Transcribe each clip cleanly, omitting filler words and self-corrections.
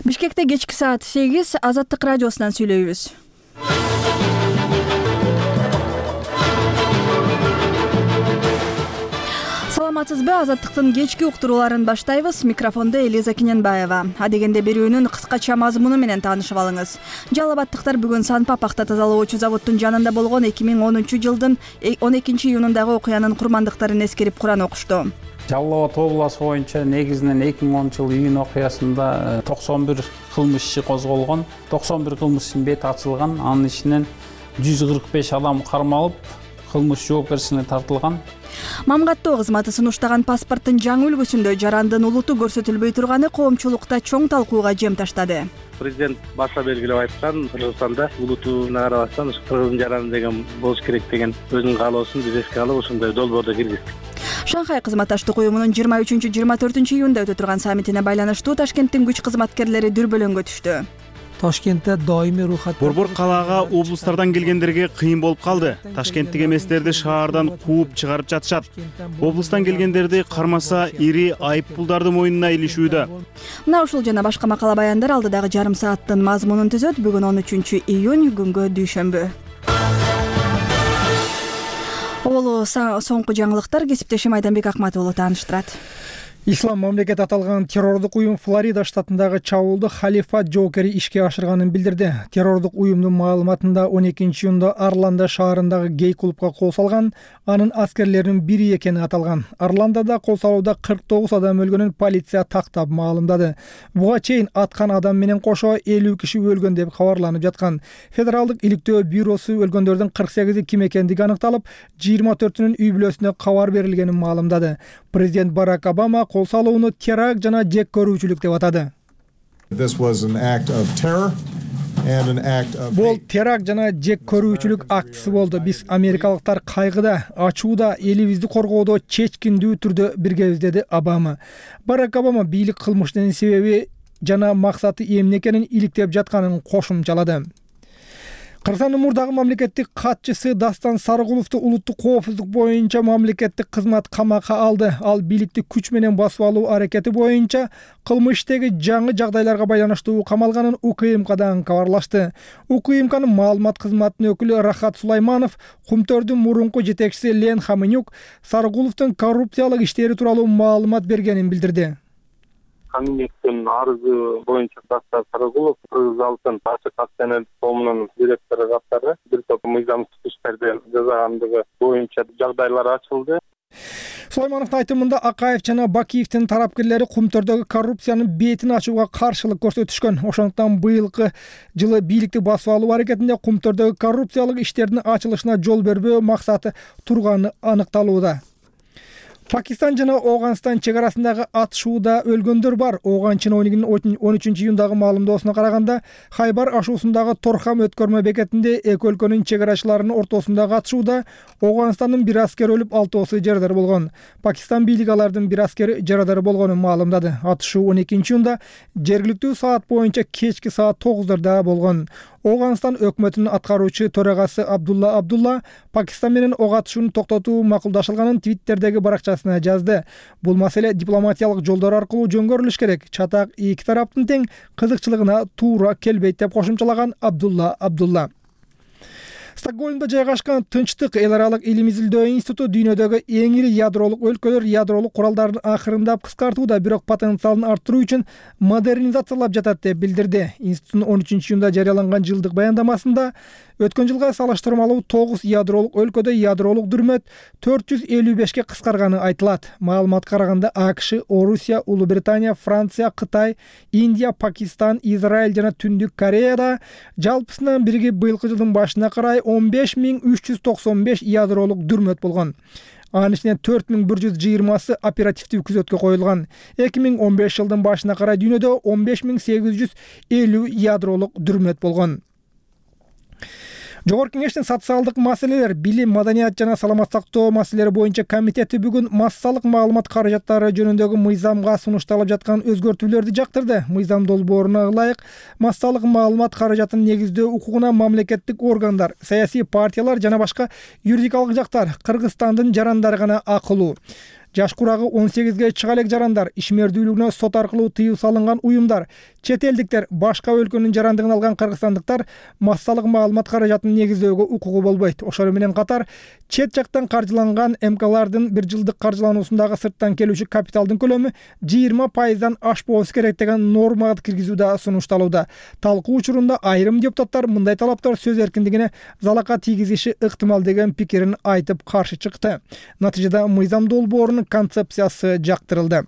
Бишкекте кечки саат 8 Азаттык радиосунан сүйлөйбүз. Саламатсызбы? Азаттыктын кечки уктурууларын баштайбыз. Микрофондо Элиза Кененбаева. Адегенде берүүнүн кыскача мазмуну менен таанышып алыңыз. Жалал абадтыктар бүгүн Санпа пахта тазалоочу заводдун жанында болгон 2010-жылдын 12-июнундагы окуянын курмандыктарын эскерип Куран окушту. Жалал Абад областы боюнча негизинен 2010-жыл июнь окуясында 91 кылмыш иши козголгон. 91 кылмыштын бети ачылган. Анын ичинен 145 адам кармалып, кылмыш жоопкерчиликке тартылган. Мамгаттоо кызматы сунуштаган паспорттун жаңы үлгүсүндө жарандын улуту көрсөтүлбөй турганы коомчулукта чоң талкууга жем таштады. Президент баша белгилеп айткан, Кыргызстанда улутуна карабастан кыргыздын жараны деген болуш керек деген өзүнүн каалоосун биз эске алып, ошондой долбоорду киргиздик. Шанхай кызматташтык уюмунун 23-24 июнда өтө турган саммитине байланыштуу Ташкенттин күч кызматкерлери дүрбөлөңгө түштү. Ташкентте даимий рухат Борбор калаага облустардан келгендерге кыйын болуп калды. Ташкенттик эместерди шаардан кууп чыгарып жатышат. Облустан келгендерди кармаса ири айыппулдарды мойнуна илишүүдө. Мына ушул жана башка макала баяндар алдыдагы жарым сааттын мазмунун түзөт. Бүгүн 13 июнь күнгө дүйшөмбү. Олу соңку жаңылыктар кесиптешим Айданбек Акматову тааныштырат. Ислам мамлекети аталган террордук уюм Флорида штатындагы чабуулду халифат жоокери ишке ашырганын билдирди. Террордук уюмдун маалыматында 12-июнда Орландо шаарындагы гей-клубга кол салган, анын аскерлеринин бири экени аталган. Орландода кол салууда 49 адам өлгөнүн полиция тактап маалымдады. Буга чейин аткан адам менен кошо 50 киши өлгөн деп кабарланып жаткан. Федералдык иликтөө бюросу өлгөндөрдүн 48 ким экендиги аныкталып, 24-үнүн үй бүлөсүнө кабар берилгенин маалымдады. Президент Барак Обама кол салууну теракт жана жек көрүүчүлүк деп атады. Бул теракт жана жек көрүүчүлүк актысы болду. Биз америкалыктар кайгыда, ачууда, элибизди коргоодо чечкиндүү түрдө биргебиз, деди Обама. Барак Обама бийлик кылмыштын себеби жана максаты эмне экенин иликтеп жатканын кошумчалады. Кыргызстандын мурдагы мамлекеттик катчысы Дастан Сарыгуловду улуттук коопсуздук боюнча мамлекеттик кызмат камакка алды. Ал бийликти күч менен басып алуу аракети боюнча кылмыштагы жаңы жагдайларга байланыштуу камалганын УКМКдан кабарлашты. УКМКнын маалымат кызматынын өкүлү Рахат Сулайманов Кумтөрдүн мурунку жетекчиси Лен Хаменюк Сарыгуловдун коррупциялык иштери тууралуу маалымат бергенин билдирди. Каминектин арызы боюнча Дастан Сарыгулов Кыргыз алтын ачык акционерлик коомунун директору катары бир топ мыйзамсыз иштерди жасагандыгы боюнча жагдайлар ачылды. Сулаймановдун айтымында Акаев жана Бакиевдин тарапкерлери Кумтөрдөгү коррупциянын бетин ачууга каршылык көрсөтүшкөн. Ошондуктан быйылкы жылы бийликти басып алуу аракетинде Кумтөрдөгү коррупциялык иштердин ачылышына жол бербөө максаты турганы аныкталууда. Пакистан жана Оганстан чек арасындагы атышууда өлгөндөр бар. Оганчын 13-июндагы маалымдоосуна караганда, Хайбар ашуусундагы Торхам өткөрмө бекетинде эки өлкөнүн чек арачыларынын ортосундагы атышууда Оганстандын бир аскери өлүп, 6 жарадар болгон. Пакистан бийлиги алардын бир аскери жарадар болгонун маалымдады. Атышуу 12-июнда жергиликтүү саат боюнча кечки саат 9:00 болгон. Оганстан өкмөтүнүн аткаруучу төрагасы Абдулла Пакистан менен ок атышууну токтотуу макулдашылганын Твиттердеги баракчасына жазды. Бул маселе дипломатиялык жолдор аркылуу жөнгөрүлүш керек. Чатак эки тараптын тең кызыкчылыгына туура келбейт деп кошумчалаган Абдулла. Стокгольмдо жайгашкан Тынчтык эл аралык илим изилдөө институту дүйнөдөгү эң ири ядролук өлкөлөр ядролук куралдарын акырындап кыскартууда, бирок потенциалын арттыруу үчүн модернизациялап жатат деп билдирди. Институттун 13-июнда жарыяланган жылдык баяндамасында өткөн жылга салыштырмалуу 9 ядролук өлкөдө ядролук дүрмөт 455ке кыскарганы айтылат. Маалыматка караганда АКШ, Орусия, Улуу Британия, Франция, Кытай, Индия, Пакистан, Израиль жана Түндүк Кореяда жалпысынан биригип быйылкы жылдын башына карай 15395 ядролук дүрмөт болгон. Анын ичинен 4120 оперативдүү күзөткө коюлган. 2015 жылдын башына карай дүйнөдө 15850 ядролук дүрмөт болгон. Жогорку кеңештин социалдык маселелер, билим, маданият жана саламат сактоо маселелери боюнча комитети бүгүн массалык маалымат каражаттары жөнүндөгү мыйзамга сунушталып жаткан өзгөртүүлөрдү жактырды. Мыйзам долбооруна ылайык массалык маалымат каражатын негиздөө укугуна мамлекеттик органдар, саясий партиялар жана башка юридикалык жактар Кыргызстандын жарандары гана акылуу. жаш курагы 18ге чыга элек жарандар, ишмердүүлүгүнө сот аркылуу тыюу салынган уюмдар, чет элдиктер, башка өлкөнүн жарандыгын алган кыргызстандыктар массалык маалымат каражатын негиздөөгө укугу болбойт. Ошол менен катар чет жактан каржыланган МКлардын 1 жылдык каржылануусундагы сырттан келүүчү капиталдын көлөмү 20%дан ашпоосу керек деген нормага киргизүү да сунушталууда. Талкуу учурунда айрым депутаттар мындай талаптар сөз эркиндигине залака тийгизиши ыктымал деген пикирин айтып каршы чыкты. Натыйжада мыйзам долбоорунун концепциясы жактырылды.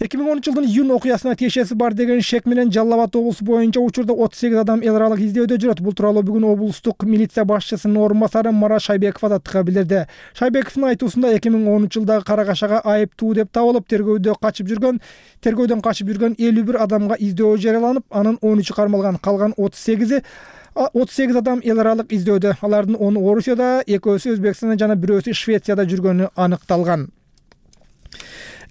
2010 жылдын июнь окуясына тиешеси бар деген шек менен Жалал Абад облусу боюнча учурда 38 адам эл аралык издөөдө жүрөт. Бул тууралуу бүгүн облустук милиция башчысынын орун басары Марат Шайбеков азаттыкка билдирди. Шайбековдун айтуусунда 2010 жылдагы кара кашага айыптуу деп табылып, тергөөдөн качып жүргөн 51 адамга издөө жарыяланып, анын 13 кармалган, калган 38 адам эл аралык издөөдө. Алардын 10 Орусияда, 2-сү Өзбекстанда жана 1-сү Швецияда жүргөнү аныкталган.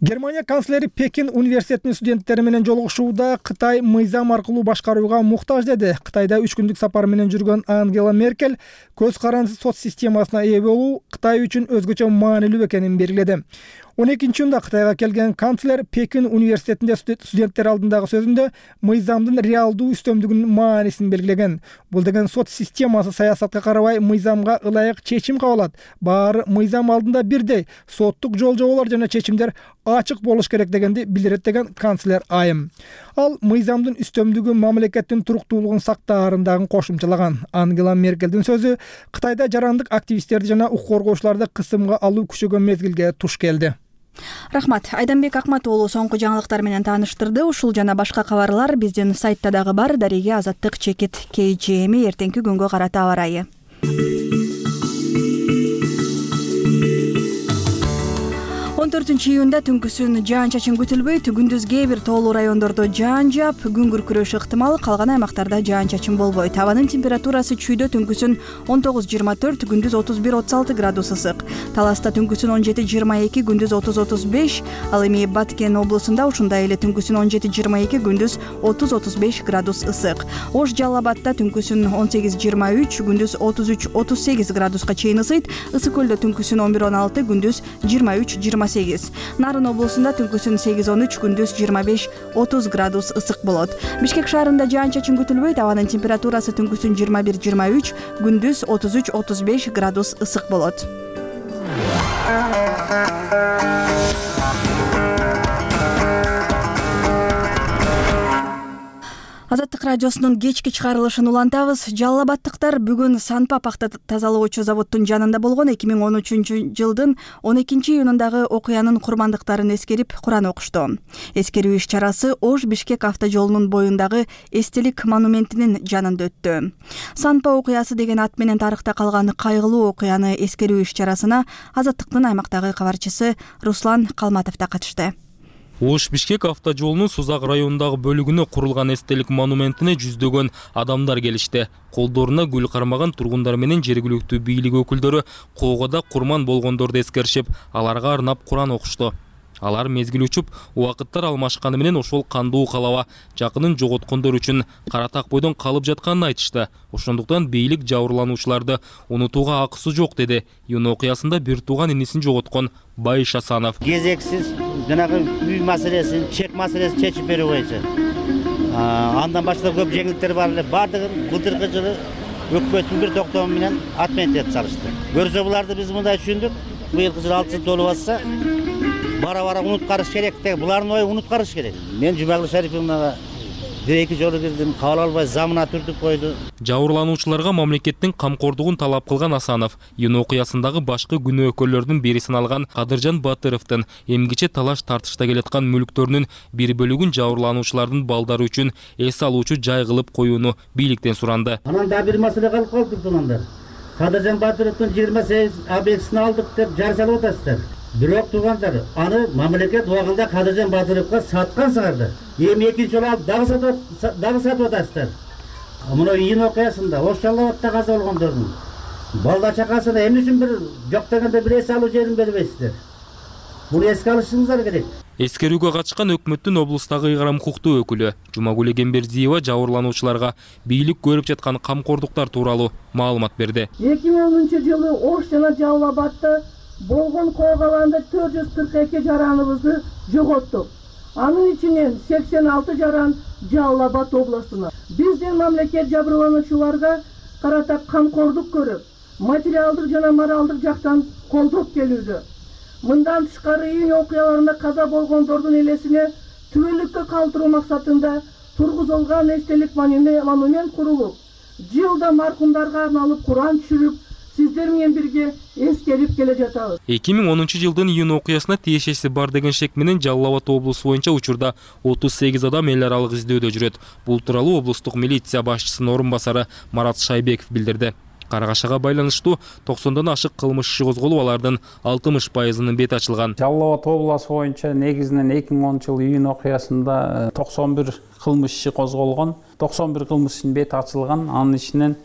Германия канцлери Пекин университетинин студенттери менен жолугушууда Кытай мыйзам аркылуу башкарууга муктаж деди. Кытайда 3 күндүк сапар менен жүргөн Ангела Меркель көз карандысыз сот системасына ээ болуу Кытай үчүн өзгөчө маанилүү экенин белгиледи. 12-июнда Кытайга келген канцлер Пекин университетинде студенттер алдындагы сөзүндө мыйзамдын реалдуу үстөмдүгүнүн маанисин белгилеген. Бул деген сот системасы саясатка карабай мыйзамга ылайык чечим кабыл алат. Баары мыйзам алдында бирдей, соттук жол-жоболор жана чечимдер ачык болуш керек дегенди билдирет деген канцлер айым. Ал мыйзамдын үстөмдүгү мамлекеттин туруктуулугун сактаарын кошумчалаган. Ангела Меркелдин сөзү Кытайда жарандык активисттерди жана укук коргоочуларды кысымга алуу күчөгөн мезгилге туш келди. Рахмат. Айданбек Акматуулу соңку жаңылыктар менен тааныштырды. Ушул жана башка кабарлар биздин сайтта дагы бар. Дареге Азаттык чекит KGM эртеңки күнгө карата аба ырайы. 14-июнда түнкүсүн жаан-чачын күтүлбөйт. Күндүз кээ бир тоолуу райондордо жаан жаап, күн күркүрөшү ыктымал, калган аймактарда жаан-чачын болбойт. Абанын температурасы чүйдө түнкүсүн 19-24, күндүз 31-36 градус ысык. Таласта түнкүсүн 17-22, күндүз 30-35, ал эми Баткен облусунда ушундай эле түнкүсүн 17-22, күндүз 30-35 градус ысык. Ош Жалал Абадта түнкүсүн 18-23, күндүз 33-38 градуска чейин ысыйт. Ысык көлдө түнкүсүн 11-16, күндүз 23-28. Нарын облусунда түнкүсүн 8-13, күндүз 25-30 градус ысык болот. Бишкек шаарында жаан-чачын күтүлбөйт. Абанын температурасы түнкүсүн 21-23, күндүз 33-35 градус ысык болот. Азаттык радиосунун кечки чыгарылышын улантабыз. Жалал Абадтыктар бүгүн Санпа пахта тазалоочу заводдун жанында болгон 2013 жылдын 12-июнундагы окуянын курмандыктарын эскерип Куран окушту. Эскерүү иш-чарасы Ош Бишкек автожолунун боюндагы эстелик монументинин жанында өттү. Санпа окуясы деген ат менен тарыхта калган кайгылуу окуяны эскерүү иш-чарасына Азаттыктын аймактагы кабарчысы Руслан Калматов да катышты. Ош Бишкек автожолунун Сузак районундагы бөлүгүнө курулган эстелик монументине жүздөгөн адамдар келишти. Колдоруна гүл кармаган тургундар менен жергиликтүү бийлик өкүлдөрү коогода курман болгондорду эскеришип, аларга арнап Куран окушту. Алар мезгил учуп, убакыттар алмашканы менен ошол кандуу калаба жакынын жоготкондор үчүн кара так бойдон калып жатканын айтышты. Ошондуктан бийлик жабырлануучуларды унутууга акысы жок деди. Июнь окуясында бир тууган инисин жоготкон Байыш Асанов. Кезексиз жанагы үй маселесин, чек маселесин чечип берүү боюнча. Андан башка көп жеңилдиктер бар эле. Бардыгын былтыркы жылы өкмөттүн бир токтому менен отменить этип салышты. Көрсө буларды биз мындай түшүндүк. Быйылкы жылы 6 жыл толуп атса, бара-бара унуткарыш керек деген. Булардын ою унуткарыш керек. Мен Жумагүл Шариповнага бир-эки жолу кирдим, кабыл албай замына түртүп койду. Жабырлануучуларга мамлекеттин камкордугун талап кылган Асанов июнь окуясындагы башкы күнөөкөрлөрдүн бири саналган Кадыржан Батыровдун эмгиче талаш тартышта келаткан мүлктөрүнүн бир бөлүгүн жабырлануучулардын балдары үчүн эс алуучу жай кылып коюуну бийликтен суранды. Анан да бир маселе калып калды туугандар. Кадыржан Батыровдун 28 объектисин алдык деп жар салып атасыздар. Бирок туугандар, аны мамлекет убагында Кадыржан Батыровго саткан сыңарда. Эми экинчи жолу алып дагы сатып атасыздар. Мына июнь окуясында Ош Жалал Абадта каза болгондордун балда чакасына эмне үчүн бир жок дегенде бир эс алуу жерин бербейсиздер? Буну эске алышыңыздар керек. Эскерүүгө катышкан өкмөттүн облустагы ыйгарым укуктуу өкүлү Жумагүл Эгембердиева жабырлануучуларга бийлик көрүп жаткан камкордуктар тууралуу маалымат берди. 2010 жылы Ош жана Жалал Абадта болгон коогаланда 442 жараныбызды жоготтук. Анын ичинен 86 жаран Жалал Абад областына. Биздин мамлекет жабырлануучуларга карата камкордук көрүп, материалдык жана моралдык жактан колдоп келүүдө. Мындан тышкары июнь окуяларында каза болгондордун элесине түбөлүккө калтыруу максатында тургузулган эстелик монумент курулуп, жылда маркумдарга арналып Куран түшүрүп, сиздер менен бирге эскерип келе жатабыз. 2010 жылдын июнь окуясына тиешеси бар деген шек менен Жалал Абад облусу боюнча учурда 38 адам эл аралык издөөдө жүрөт. Бул тууралуу облустук милиция башчысынын орун басары Марат Шайбеков билдирди. Каргашага байланыштуу 90дан ашык кылмыш иши козголуп, алардын 60%-ынын бети ачылган. Жалал Абад облусу боюнча негизинен 2010 жыл июнь окуясында 91 кылмыш иши козголгон, 91 кылмыш ишинин бети ачылган. Анын ичинен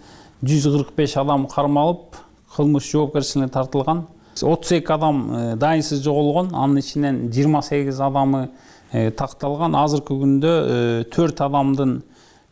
145 адам кармалып, кылмыш жоопкерчиликке тартылган. 32 адам дайынсыз жоголгон, анын ичинен 28 адамы такталган. Азыркы күндө 4 адамдын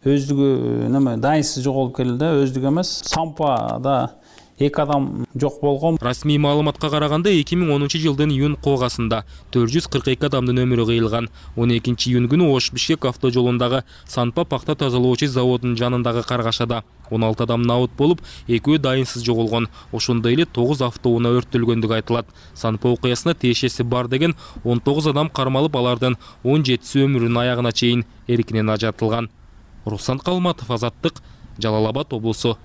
өздүгү дайынсыз жоголуп келди, өздүгү эмес. Сампада 2 адам жок болгон. Расмий маалыматка караганда 2010 жылдын июнь коогасында 442 адамдын өмүрү кыйылган. 12 июнь күнү Ош-Бишкек автожолундагы Санпа пакта тазалоочу заводунун жанындагы каргашада 16 адам набыт болуп, 2 дайынсыз жоголгон. Ошондой эле 9 автоунаа өрттөлгөндүгү айтылат. Санпа окуясына тиешеси бар деген 19 адам кармалып, алардын 17си өмүрүнүн аягына чейин эркинен ажыратылган. Руслан Калматов, Азаттык, Жалал Абад облусу.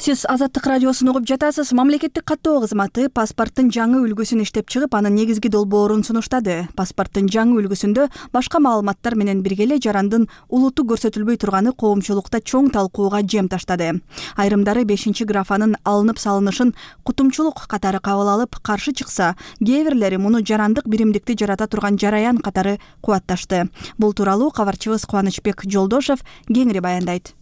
Сиз Азаттык радиосун угуп жатасыз. Мамлекеттик каттоо кызматы паспорттун жаңы үлгүсүн иштеп чыгып, анын негизги долбоорун сунуштады. Паспорттун жаңы үлгүсүндө башка маалыматтар менен бирге эле жарандын улуту көрсөтүлбөй турганы коомчулукта чоң талкууга жем таштады. Айрымдары 5-графанын алынып салынышын кутумчулук катары кабыл алып, каршы чыкса, кээ бирлери муну жарандык биримдикти жарата турган жараян катары кубатташты. Бул тууралуу кабарчыбыз Кубанычбек Жолдошев кеңири баяндайт.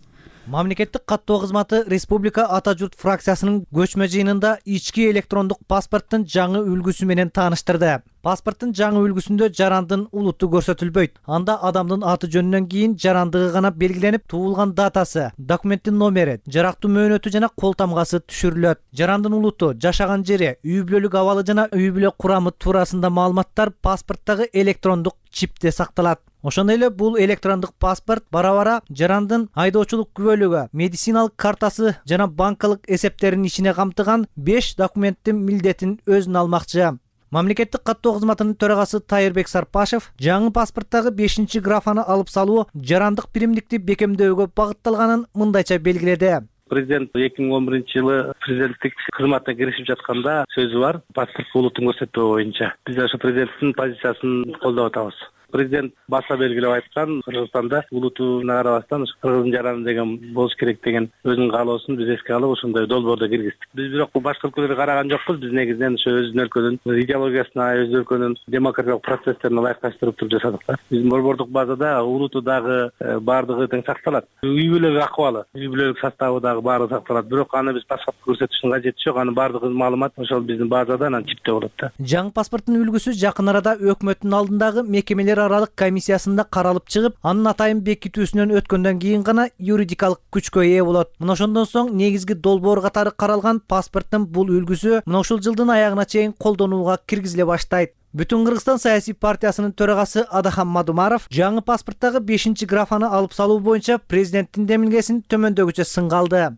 Мамлекеттик каттоо кызматы Республика Ата журт фракциясынын көчмө жыйынында ички электрондук паспорттун жаңы үлгүсү менен тааныштырды. Паспорттун жаңы үлгүсүндө жарандын улуту көрсөтүлбөйт. Анда адамдын аты жөнүнөн кийин жарандыгы гана белгиленип, туулган датасы, документтин номери, жарактуу мөөнөтү жана кол тамгасы түшүрүлөт. Жарандын улуту, жашаган жери, үй бүлөлүк абалы жана үй бүлө курамы туурасында маалыматтар паспорттагы электрондук чипте сакталат. Ошондой эле бул электрондук паспорт бара-бара жарандын айдоочулук күбөлүгү, медициналык картасы жана банкалык эсептеринин ичине камтыган 5 документтин милдетин өзүнө алмакчы. Мамлекеттик каттоо кызматынын төрагасы Тайырбек Сарпашев жаңы паспорттагы 5-графаны алып салуу жарандык биримдикти бекемдөөгө багытталганын мындайча белгиледи. Президент 2011 жылы президенттик кызматына киришип жатканда сөзү бар, паспорт улутун көрсөтүү боюнча. Биз ошо президенттин позициясын колдоп атабыз. Президент баса белгилеп айткан, Кыргызстанда улутуна карабастан кыргыздын жараны деген болуш керек деген өзүнүн каалоосун биз эске алып ошондой долбоордо киргиздик. Биз бирок башка өлкөлөргө караган жокпуз. Биз негизинен ошо өзүнүн өлкөнүн идеологиясына, өз өлкөнүн демократиялык процесстерине ылайыкташтырып туруп жасадык да. Биздин борбордук базада улуту дагы баардыгы тең сакталат. Үй бүлөлүк акыбалы, үй бүлөлүк составы дагы баары сакталат. Бирок аны биз паспорт көрсөтүштүн кажети жок. Анын баардыгы маалымат ошол биздин базада анан чипте болот да. Жаңы паспорттун үлгүсү жакын арада өкмөттүн алдындагы мекемелер аралык комиссиясында каралып чыгып, анын атайын бекитүүсүнөн өткөндөн кийин гана юридикалык күчкө ээ болот. Мына ошондон соң негизги долбоор катары каралган паспорттун бул үлгүсү мына ушул жылдын аягына чейин колдонууга киргизиле баштайт. Бүтүн Кыргызстан саясий партиясынын төрагасы Адахан Мадумаров жаңы паспорттагы 5-графаны алып салуу боюнча президенттин демилгесин төмөндөгүчө сынга алды.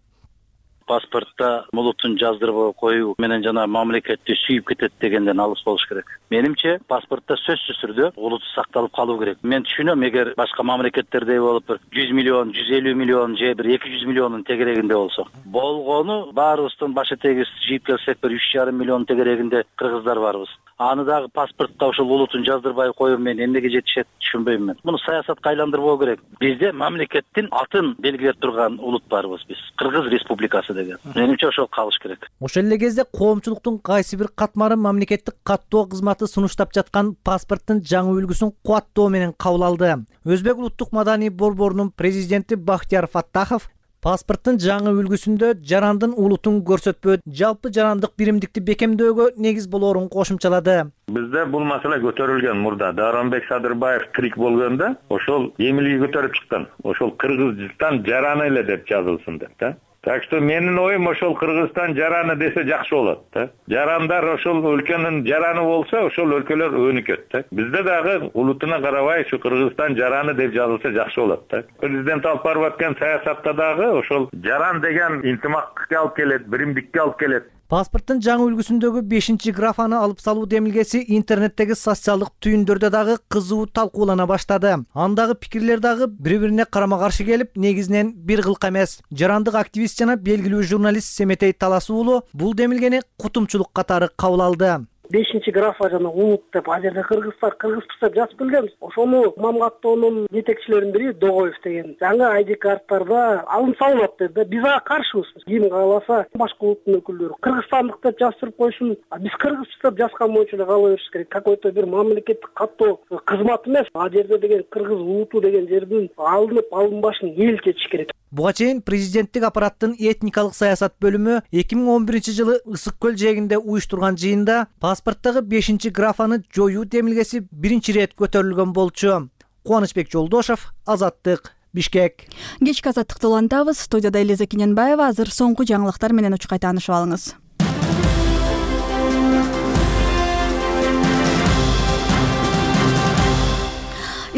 Паспортта улутун жаздырып коюу менен жана мамлекетти сүйүп кетет дегенден алыс болуш керек. Менимче паспортта сөзсүз түрдө улут сакталып калуу керек. Мен түшүнөм, эгер башка мамлекеттердей болуп 100 миллион, 150 миллион же 200 миллиондун тегерегинде болсо. Болгону баарыбыздын башы тегиз жыйып келсек 3,5 миллион тегерегинде кыргыздар барбыз. Аны дагы паспортто ошол улутун жаздырбай коюу менен эмнеге жетишет түшүнбөйм мен. Муну саясатка айландырбоо керек. Бизде мамлекеттин атын белгилеп турган улут барбыз биз. Кыргыз Республикасы деген. Менимче ошол калыш керек. Ошол эле кезде коомчулуктун кайсы бир катмары мамлекеттик каттоо кызматы сунуштап жаткан паспорттун жаңы үлгүсүн кубаттоо менен кабыл алды. Өзбек улуттук маданий борборунун президенти Бахтияр Фаттахов Паспорттун жаңы үлгүсүндө жарандын улутун көрсөтпөйт, жалпы жарандык биримдикти бекемдөөгө негиз болоорун кошумчалады. Бизде бул маселе көтөрүлгөн мурда. Даронбек Садырбаев тирик болгондо ошол эмилги көтөрүп чыккан. Ошол Кыргызстан жараны эле деп жазылсын деп да. Так что менин оюм ошол Кыргызстан жараны десе жакшы болот да. Жарандар ошол өлкөнүн жараны болсо, ошол өлкөлөр өнүкөт да. Бизде дагы улутуна карабай ушу Кыргызстан жараны деп жазылса жакшы болот да. Президент алып барып аткан саясатта дагы ошол жаран деген интимакка алып келет, биримдикке алып келет. Паспорттун жаңы үлгүсүндөгү 5 графаны алып салуу демилгеси интернеттеги социалдык түйүндөрдө дагы кызуу талкуулана баштады. Андагы пикирлер дагы бири-бирине карама-каршы келип, негизинен бир кылка эмес. Жарандык активист жана белгилүү журналист Семетей Талас уулу бул демилгени кутумчулук катары кабыл алды. 5 графа жана улут деп ал жерде кыргыздар деп жазып келгенбиз. Ошону мамгаттоонун жетекчилеринин бири Догоев деген жаңы ID карттарда алым салынат dedi. Биз ага каршыбыз. Ким кааласа башка улуттун өкүлдөрү кыргызстандык деп жазып койсун. Биз кыргызчы деп жазган боюнча эле кала бериш керек. Какой-то бир мамлекеттик каттоо кызмат эмес. Ал жерде деген кыргыз улуту деген жердин алынбашын эл чечиш керек. Буга чейин президенттик аппараттын этникалык саясат бөлүмү 2011 жылы Ысык көл жээгинде уюштурган жыйында паспорттогу 5 графаны жоюу демилгеси биринчи ирет көтөрүлгөн болчу. Кубанычбек Жолдошов, Азаттык, Бишкек. Кечки азаттыкты улантабыз. Студияда Элиза Кененбаева. Азыр соңку жаңылыктар менен учкай таанышып алыңыз.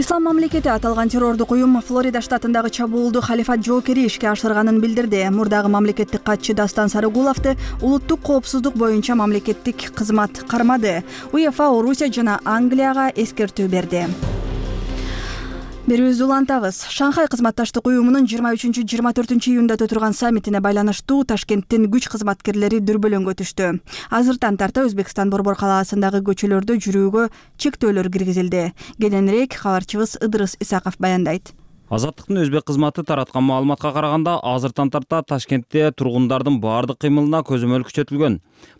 Ислам мамлекети аталган террордук уюм Флорида штатындагы чабуулду халифат жоокери ишке ашырганын билдирди. Мурдагы мамлекеттик катчы Дастан Сарыгуловду улуттук коопсуздук боюнча мамлекеттик кызмат кармады. УЕФА Орусия жана Англияга эскертүү берди. Берүүбүздү улантабыз. Шанхай кызматташтык уюмунун 23-24 июнда өтүргөн саммитине байланыштуу Ташкенттин күч кызматкерлери дүрбөлөңгө түштү. Азыртан тарта Өзбекстан Борбор калаасындагы көчөлөрдө жүрүүгө чектөөлөр киргизилди. Кененирээк кабарчыбыз Ыдырыс Исаков баяндайт. Азаттыктын өзбек кызматы тараткан маалыматка караганда, азыртан тарта Ташкентте тургундардын баардык кыймылына көзөмөл күчөтүлгөн.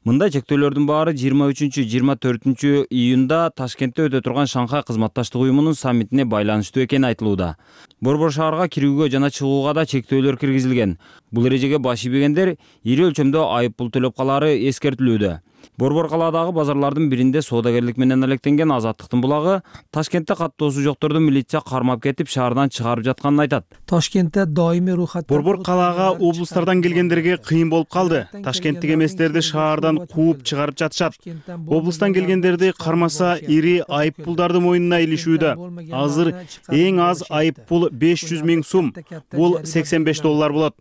Мындай чектөөлөрдүн баары 23-24 июнда Ташкентте өтө турган Шанхай кызматташтык уюмунун саммитине байланыштуу экени айтылууда. Борбор шаарга кирүүгө жана чыгууга да чектөөлөр киргизилген. Бул эрежеге баш ийбегендер ири өлчөмдө айып пул төлөп калаары эскертилүүдө. Борбор калаадагы базарлардын биринде соодагерлик менен алектенген Азаттыктын булагы Ташкентте каттоосу жокторду милиция кармап кетип шаардан чыгарып жатканын айтат. Ташкентте доимий рухат. Борбор калаага облустардан келгендерге кыйын болуп калды. Ташкенттик эместерди шаардан кууп чыгарып жатышат. Облустан келгендерди кармаса ири айып пулдарды мойнуна илишүүдө. Азыр эң аз айып пул 500 000 сум. Бул $85 болот.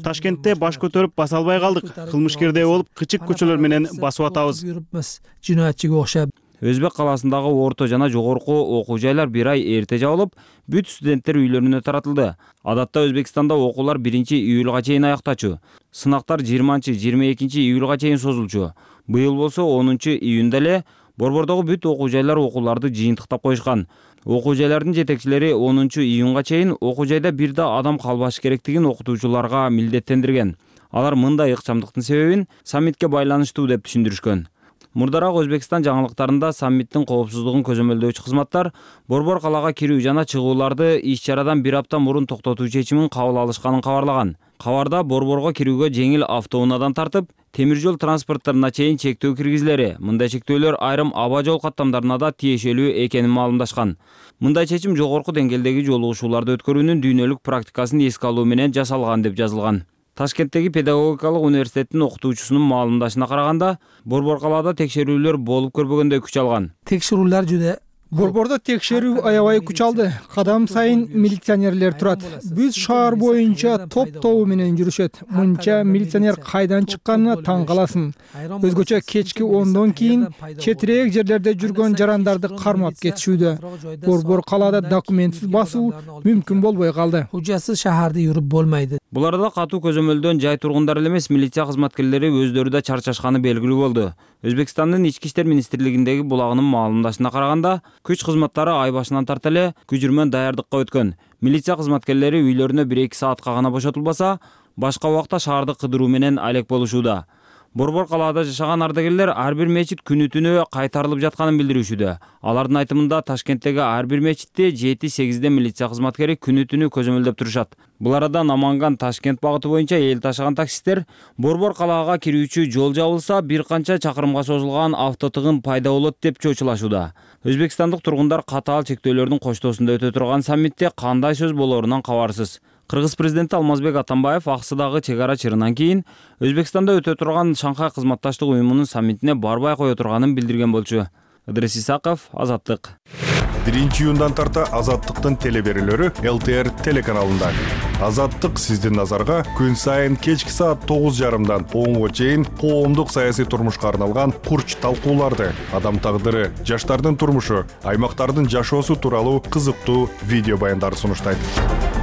Ташкентте баш көтөрүп баса албай калдык. Кылмышкердей болуп кычык көчөлөр менен басып атабыз. Өзбек калаасындагы орто жана жогорку окуу жайлар бир ай эрте жабылып, бүт студенттер үйлөрүнө таратылды. Адатта Өзбекстанда окуулар 1-июлга чейин аяктачу. Сынактар 20-22 июлга чейин созулчу. Быйыл болсо 10-июнда эле Борбордогу бүт окуу жайлар окууларды жыйынтыктап коюшкан. Окуу жайлардын жетекчилери 10-июнга чейин окуу жайда бир да адам калбашы керектигин окутуучуларга милдеттендирген. Алар мындай ыкчамдыктын себебин саммитке байланыштуу деп түшүндүрүшкөн. Мурдараак Өзбекстан жаңылыктарында саммиттин коопсуздугун көзөмөлдөөчү кызматтар Борбор калаага кирүү жана чыгууларды иш-чарадан бир апта мурун токтотуу чечимин кабыл алышканын кабарлаган. Кабарда Борборго кирүүгө жеңил автоунаадан тартып, темир жол транспортторуна чейин чектөө киргизилери. Мындай чектөөлөр айрым аба жол каттамдарына да тиешелүү экенин маалымдашкан. Мындай чечим жогорку деңгээлдеги жолугушууларды өткөрүүнүн дүйнөлүк практикасын эске алуу менен жасалган деп жазылган. Ташкенттеги педагогикалык университеттин окутуучусунун маалымдашына караганда, Борбор калаада текшерүүлөр болуп көрбөгөндөй күч алган. Текшерүүлөр жүдө Борбордо текшерүү аябай күч алды. Кадам сайын милиционерлер турат. Бүт шаар боюнча топ-тобу менен жүрүшөт. Мынча милиционер кайдан чыкканына таң каласың. Өзгөчө кечки 10дон кийин четирээк жерлерде жүргөн жарандарды кармап кетишүүдө. Борбор калаада документсиз басуу мүмкүн болбой калды. Hujjatsiz шаарда жүрүп болмайды. Буларда катуу көзөмөлдөн жай тургундар эле эмес, милиция кызматкерлери өздөрү да чарчашканы белгилүү болду. Өзбекстандын Ички иштер министрлигиндеги булагынын маалымдашына караганда, күч кызматтары ай башынан тарта эле күжүрмөн даярдыкка өткөн. Милиция кызматкерлери үйлөрүнө 1-2 саатка гана бошотулбаса, башка убакта шаарды кыдыруу менен алек болушууда. Борбор калаада жашаган ардагерлер ар бир мечит күнү түнү кайтарылып жатканын билдирүүчүдө. Алардын айтымында Ташкенттеги ар бир мечитте 7-8 милиция кызматкери күнү түнү көзөмөлдөп турушат. Бул арада Наманган Ташкент багыты боюнча эл ташыган таксисттер Борбор калаага кирүүчү жол жабылса, бир канча чакырымга созулган автотыгын пайда болот деп чочулашууда. Өзбекстандык тургундар катаал чектөөлөрдүн коштоосунда өтө турган саммитте кандай сөз болорунан кабарсыз. Кыргыз президенти Алмазбек Атамбаев аксыдагы чек ара чырынан кийин Өзбекстанда өтө турган Шанхай кызматташтык уюмунун саммитине барбай кое турганын билдирген болчу. Ыдрис Исаков, Азаттык. 1-июндан тарта Азаттыктын телеберүүлөрү ЛТР телеканалында. Азаттык сиздин назарга күн сайын кечки саат 9:30дан 10:00 чейин коомдук саясий турмушка арналган курч талкууларды, адам тагдыры, жаштардын турмушу, аймактардын жашоосу тууралуу кызыктуу видео баяндарды сунуштайт.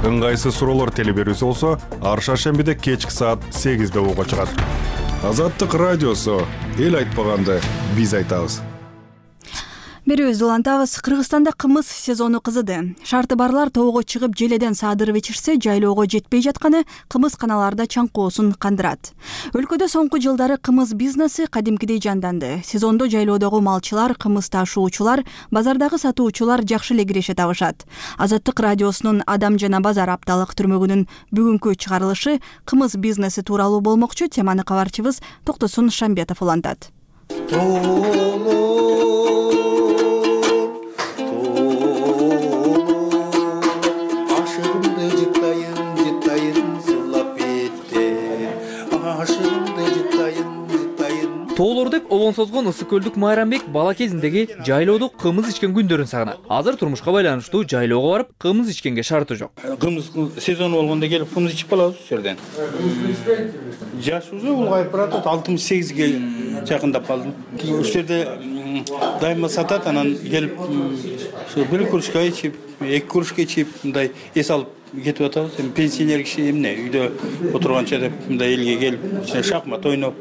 Ыңгайсыз суроолор телеберүүсү болсо, ар шаршембиде кечки саат 8:00 угуга чыгат. Азаттык радиосу, эл айтпаганды биз айтабыз. Берүүбүздү улантабыз. Кыргызстанда кымыз сезону кызыды. Шарты барлар тоого чыгып желеден саадырып ичирсе, жайлоого жетпей жатканы кымызканаларда чаңкоосун кандырат. Өлкөдө соңку жылдары кымыз бизнеси кадимкидей жанданды. Сезондо жайлоодогу малчылар, кымыз ташуучулар, базардагы сатуучулар жакшы эле киреше табышат. Азаттык радиосунун Адам жана базар апталык түрмөгүнүн бүгүнкү чыгарылышы кымыз бизнеси тууралуу болмокчу. Теманы кабарчыбыз Токтосун Шамбетов улантат. Тоолор деп обон созгон ысык көлдүк Майрамбек бала кезиндеги жайлоодо кымыз ичкен күндөрүн сагынат. Азыр турмушка байланыштуу жайлоого барып кымыз ичкенге шарты жок. Кымыз сезону болгондо келип кымыз ичип калабыз ушул жерден. Жаш уже улгайып баратат, 68ге жакындап калдым. Ушул жерде дайыма сатат, анан келип ушу бир кружка ичип, 2 кружка ичип, мындай эс алып кетип атабыз. Пенсионер киши эмне үйдө отурганча деп мындай элге келип, шахмат ойноп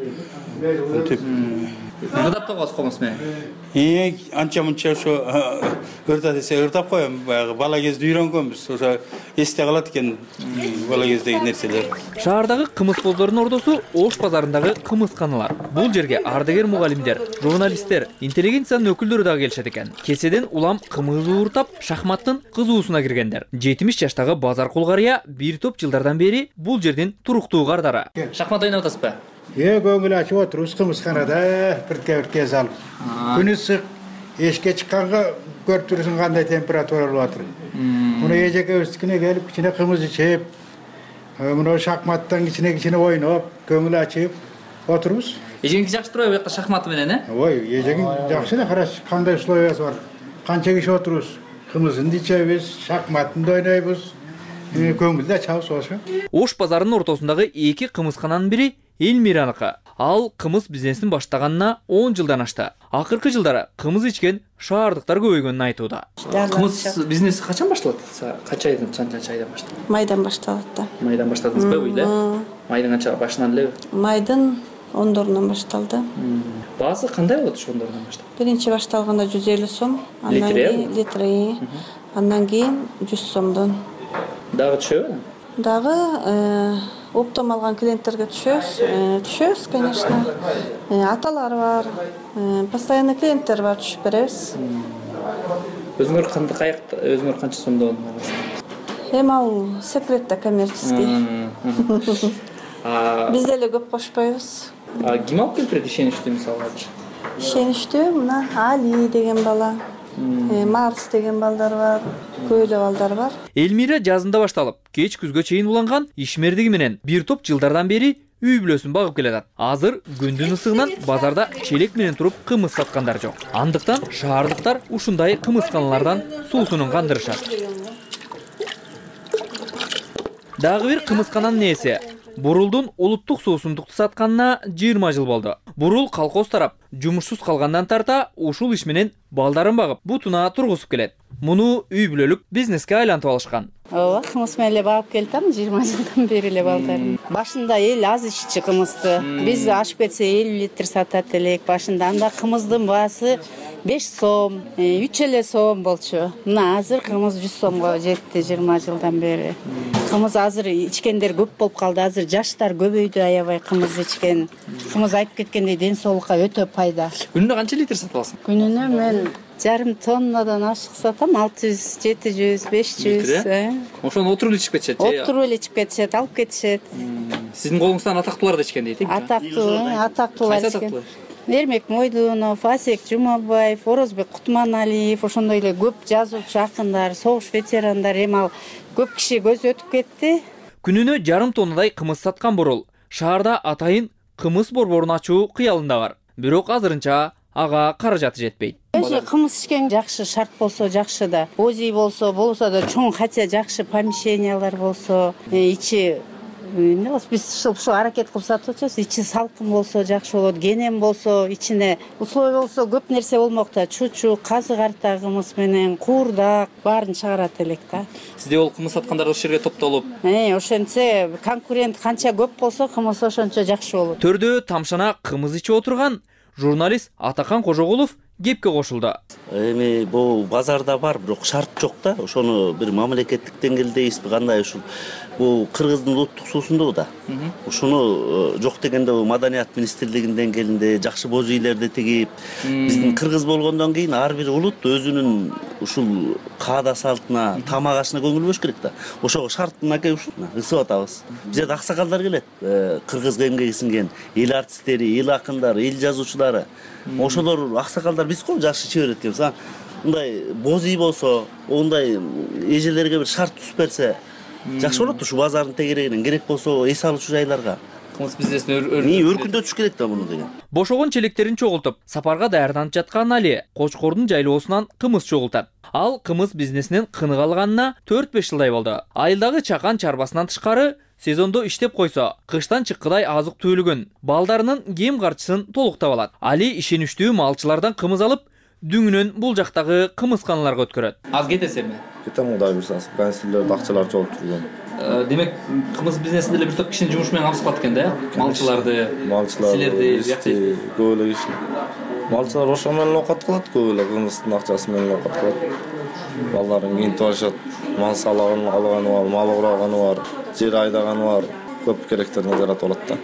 Ырдап табасыз комуз менен? Анча мынча ошо ырда десе ырдап коем. Баягы бала кезде үйрөнгөнбүз. Ошо эсте калат экен бала кездеги нерселер. Шаардагы кымыз коздордун ордосу Ош базарындагы кымызканалар. Бул жерге ардагер мугалимдер, журналисттер, интеллигенциянын өкүлдөрү дагы келишет экен. Кеседен улам кымыз ууртап, шахматтын кызуусуна киргендер. 70 жаштагы базар кулгарыя бир топ жылдардан бери бул жердин туруктуу кардары. Шахмат ойноп атасызбы? Көңүл ачып отурубуз кымызканада бирке алып. Күнү ысык, эшикке чыкканга көрүп турсуң кандай температура болуп атыр. Муну эжекебиздикине келип кичине кымыз ичип, муну шахматтан кичине ойноп, көңүл ачып отурубуз. Эжеңиз жакшы турбайбы бу жакта шахмат менен, Ой, эжегиң жакшы эле, караш кандай условиясы бар. Канча киши отурубуз, кымызын ичебиз, шахматын ойнойбуз. Көңүлдү ачабыз ошо. Ош базарынын ортосундагы 2 кымызкананын бири Элмираныкы. Ал кымыз бизнесин баштаганына 10 жылдан ашты. Акыркы жылдары кымыз ичкен шаардыктар көбөйгөнүн айтууда. Кымыз бизнеси качан башталат? Канча айдан башталат? Майдан башталат да. Майдан баштадыңызбы эле? Майдын канча башынан эле? Майдын 10-дорунан башталды. Баасы кандай болот ошо 10-дорунан баштап? Биринчи башталганда 150 сом, андан кийин литри, андан кийин 100 сомдон. Дагы түшөбү? Дагы оптом алган клиенттерге түшөбүз, конечно. Аталар бар, постоянный клиенттер бар, түшүп беребиз. Өзүңөр канча сомдон аласыз? Эми ал секрет да, коммерческий. Биз деле көп кошпойбуз. Ким алып келип берет ишеничтүү мисалы? Ишеничтүү мына Али деген бала. Марс деген балдар бар, көйлө балдар бар. Элмира жазында башталып, кеч күзгө чейин уланган ишмердиги менен бир топ жылдардан бери үй бүлөсүн багып келатат. Азыр күндүн ысыгынан базарда челек менен туруп кымыз саткандар жок. Андыктан шаардыктар ушундай кымызканалардан суусунун кандырышат. Дагы бир кымызкананын ээси Бурулдун улуттук суусундукту сатканына 20 жыл болду. Бурул колхоз тарап жумушсуз калгандан тарта ушул иш менен балдарын багып, бутуна тургузуп келет. Муну үй бүлөлүк бизнеске айлантып алышкан. Ооба, кымыз менен эле багып келатам 20 жылдан бери эле балдарым. Башында эл аз иччи кымызды. Биз ашып кетсе 50 литр сатат элек башында. Анда кымыздын баасы 5 сом, 3 эле сом болчу. Мына азыр кымыз 100 сомго жетти 20 жылдан бери. Кымыз азыр ичкендер көп болуп калды. Азыр жаштар көбөйдү аябай кымыз ичкен. Кымыз айтып кеткендей ден соолукка өтө пайда. Күнүнө канча литр сатып аласың? Күнүнө мен жарым тоннадан ашык сатам, 600, 700, 500. Ошону отуруп эле ичип кетишет. Отуруп эле ичип кетишет, алып кетишет. Сиздин колуңуздан атактуулар да ичкен дейт. Атактуулар ичкен. Эрмек Мойдунов, Асек Жумабаев, Орозбек Кутманалиев, ошондой эле көп жазуучу акындар, согуш ветерандар, эми ал көп киши көз өтүп кетти. Күнүнө жарым тоннадай кымыз саткан Борол шаарда атайын кымыз борборун ачуу кыялында бар. Бирок азырынча ага каражаты жетпейт. Кымыз ичкен жакшы, шарт болсо жакшы да. Ози болсо да чоң, хотя жакшы помещениялар болсо, ичи биз ушу аракет кылып сатып атабыз. Ичи салкын болсо жакшы болот, кенем болсо, ичине условия болсо көп нерсе болмок да. Чучук, казык арта кымыз менен, куурдак баарын чыгарат элек да. Сизде ол кымыз саткандар ошол жерге топтолуп, ошентсе конкурент канча көп болсо кымыз ошончо жакшы болот. Төрдө тамшана кымыз ичип отурган журналист Атакан Кожогулов кепке кошулду. Эми бул базарда бар, бирок шарт жок да. Ошону бир мамлекеттик деңгээлдейбизби, кандай ушул бул кыргыздын улуттук суусунду да. Ушуну жок дегенде Маданият министрлигинин деңгээлинде жакшы боз үйлөрдү тигип, биздин кыргыз болгондон кийин ар бир улут өзүнүн ушул каада салтына, тамак ашына көңүл бөлүш керек да. Ошого шартынаке ушуна ысып атабыз. Бизде аксакалдар келет, кыргызга эмгеги сиңген эл артисттери, эл акындары, эл жазуучулары. Ошолор аксакалдар биз го жакшы иче берет экенбиз. Мындай боз үй болсо, ондай эжелерге бир шарт түзүп берсе жакшы болот. Ушу базардын тегерегинен керек болсо эс алуучу жайларга кымыз бизнесин өркүндөтүш керек да муну деген. Бошогон челектерин чогултуп, сапарга даярданып жаткан Али Кочкордун жайлоосунан кымыз чогултат. Ал кымыз бизнесинен кыныга алганына 4-5 жылдай болду. Айылдагы чакан чарбасынан тышкары сезондо иштеп койсо, кыштан чыккыдай азык түгүлүгүн, балдарынын кийим карчысын толуктап алат. Али ишеничтүү малчылардан кымыз алып, дүңүнөн бул жактагы кымызканаларга өткөрөт. Аз кетесизби? Кетем, Кудай буйрса, кансилдерди акчалар чогултуп жүргөн. Демек, кымыз бизнесинде эле бир топ кишинин жумушу менен камсыз экен да? Малчыларды, силерди, көп эле киши. Малчылар ошо менен оокат кылат, көп эле кымыздын акчасы менен оокат кылат. Балдарын кийинтип алышат, мал салыгын алганы бар, мал ураганы бар, жер айдаганы бар. Көп керектерин жаратып алат да.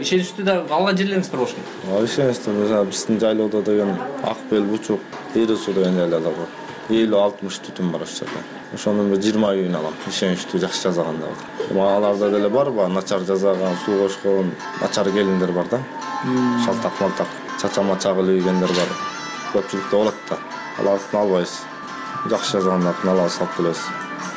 Ишеничтүү да алган жерлериңиз бар болуш керек. Ишеничтүү, биздин жайлоодо деген Ак Бел, Бучук, Эри суу деген жайлаалар бар. 50-60 түтүн бар ошол жерде. Ошонун 20 үйүн алам. Ишеничтүү жакшы жазаганда. Аларда деле барбы, начар жазаган, суу кошкон, начар келиндер бар да. Шалтак-малтак, чача-мача кылып ийгендер бар. Көпчүлүктө болот да. Алардын албайбыз. Жакшы жазгандарын алабыз, алып келебиз.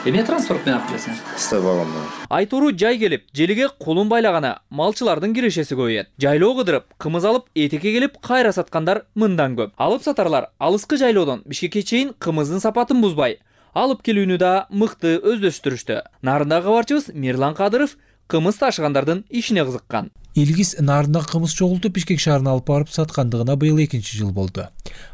Эмне транспорт менен алып келесиң? Стай вагонда. Айтуру жай келип, желиге колун байлагана малчылардын кирешеси көбөйөт. Жайлоо кыдырып, кымыз алып, этекке келип кайра саткандар мындан көп. Алып сатарлар алыскы жайлоодон Бишкекке чейин кымыздын сапатын бузбай, алып келүүнү да мыкты өздөштүрүштү. Нарындагы кабарчыбыз Мирлан Кадыров кымыз ташыгандардын ишине кызыккан. Илгиз Нарында кымыз чогултуп Бишкек шаарына алып барып саткандыгына быйыл 2-жыл болду.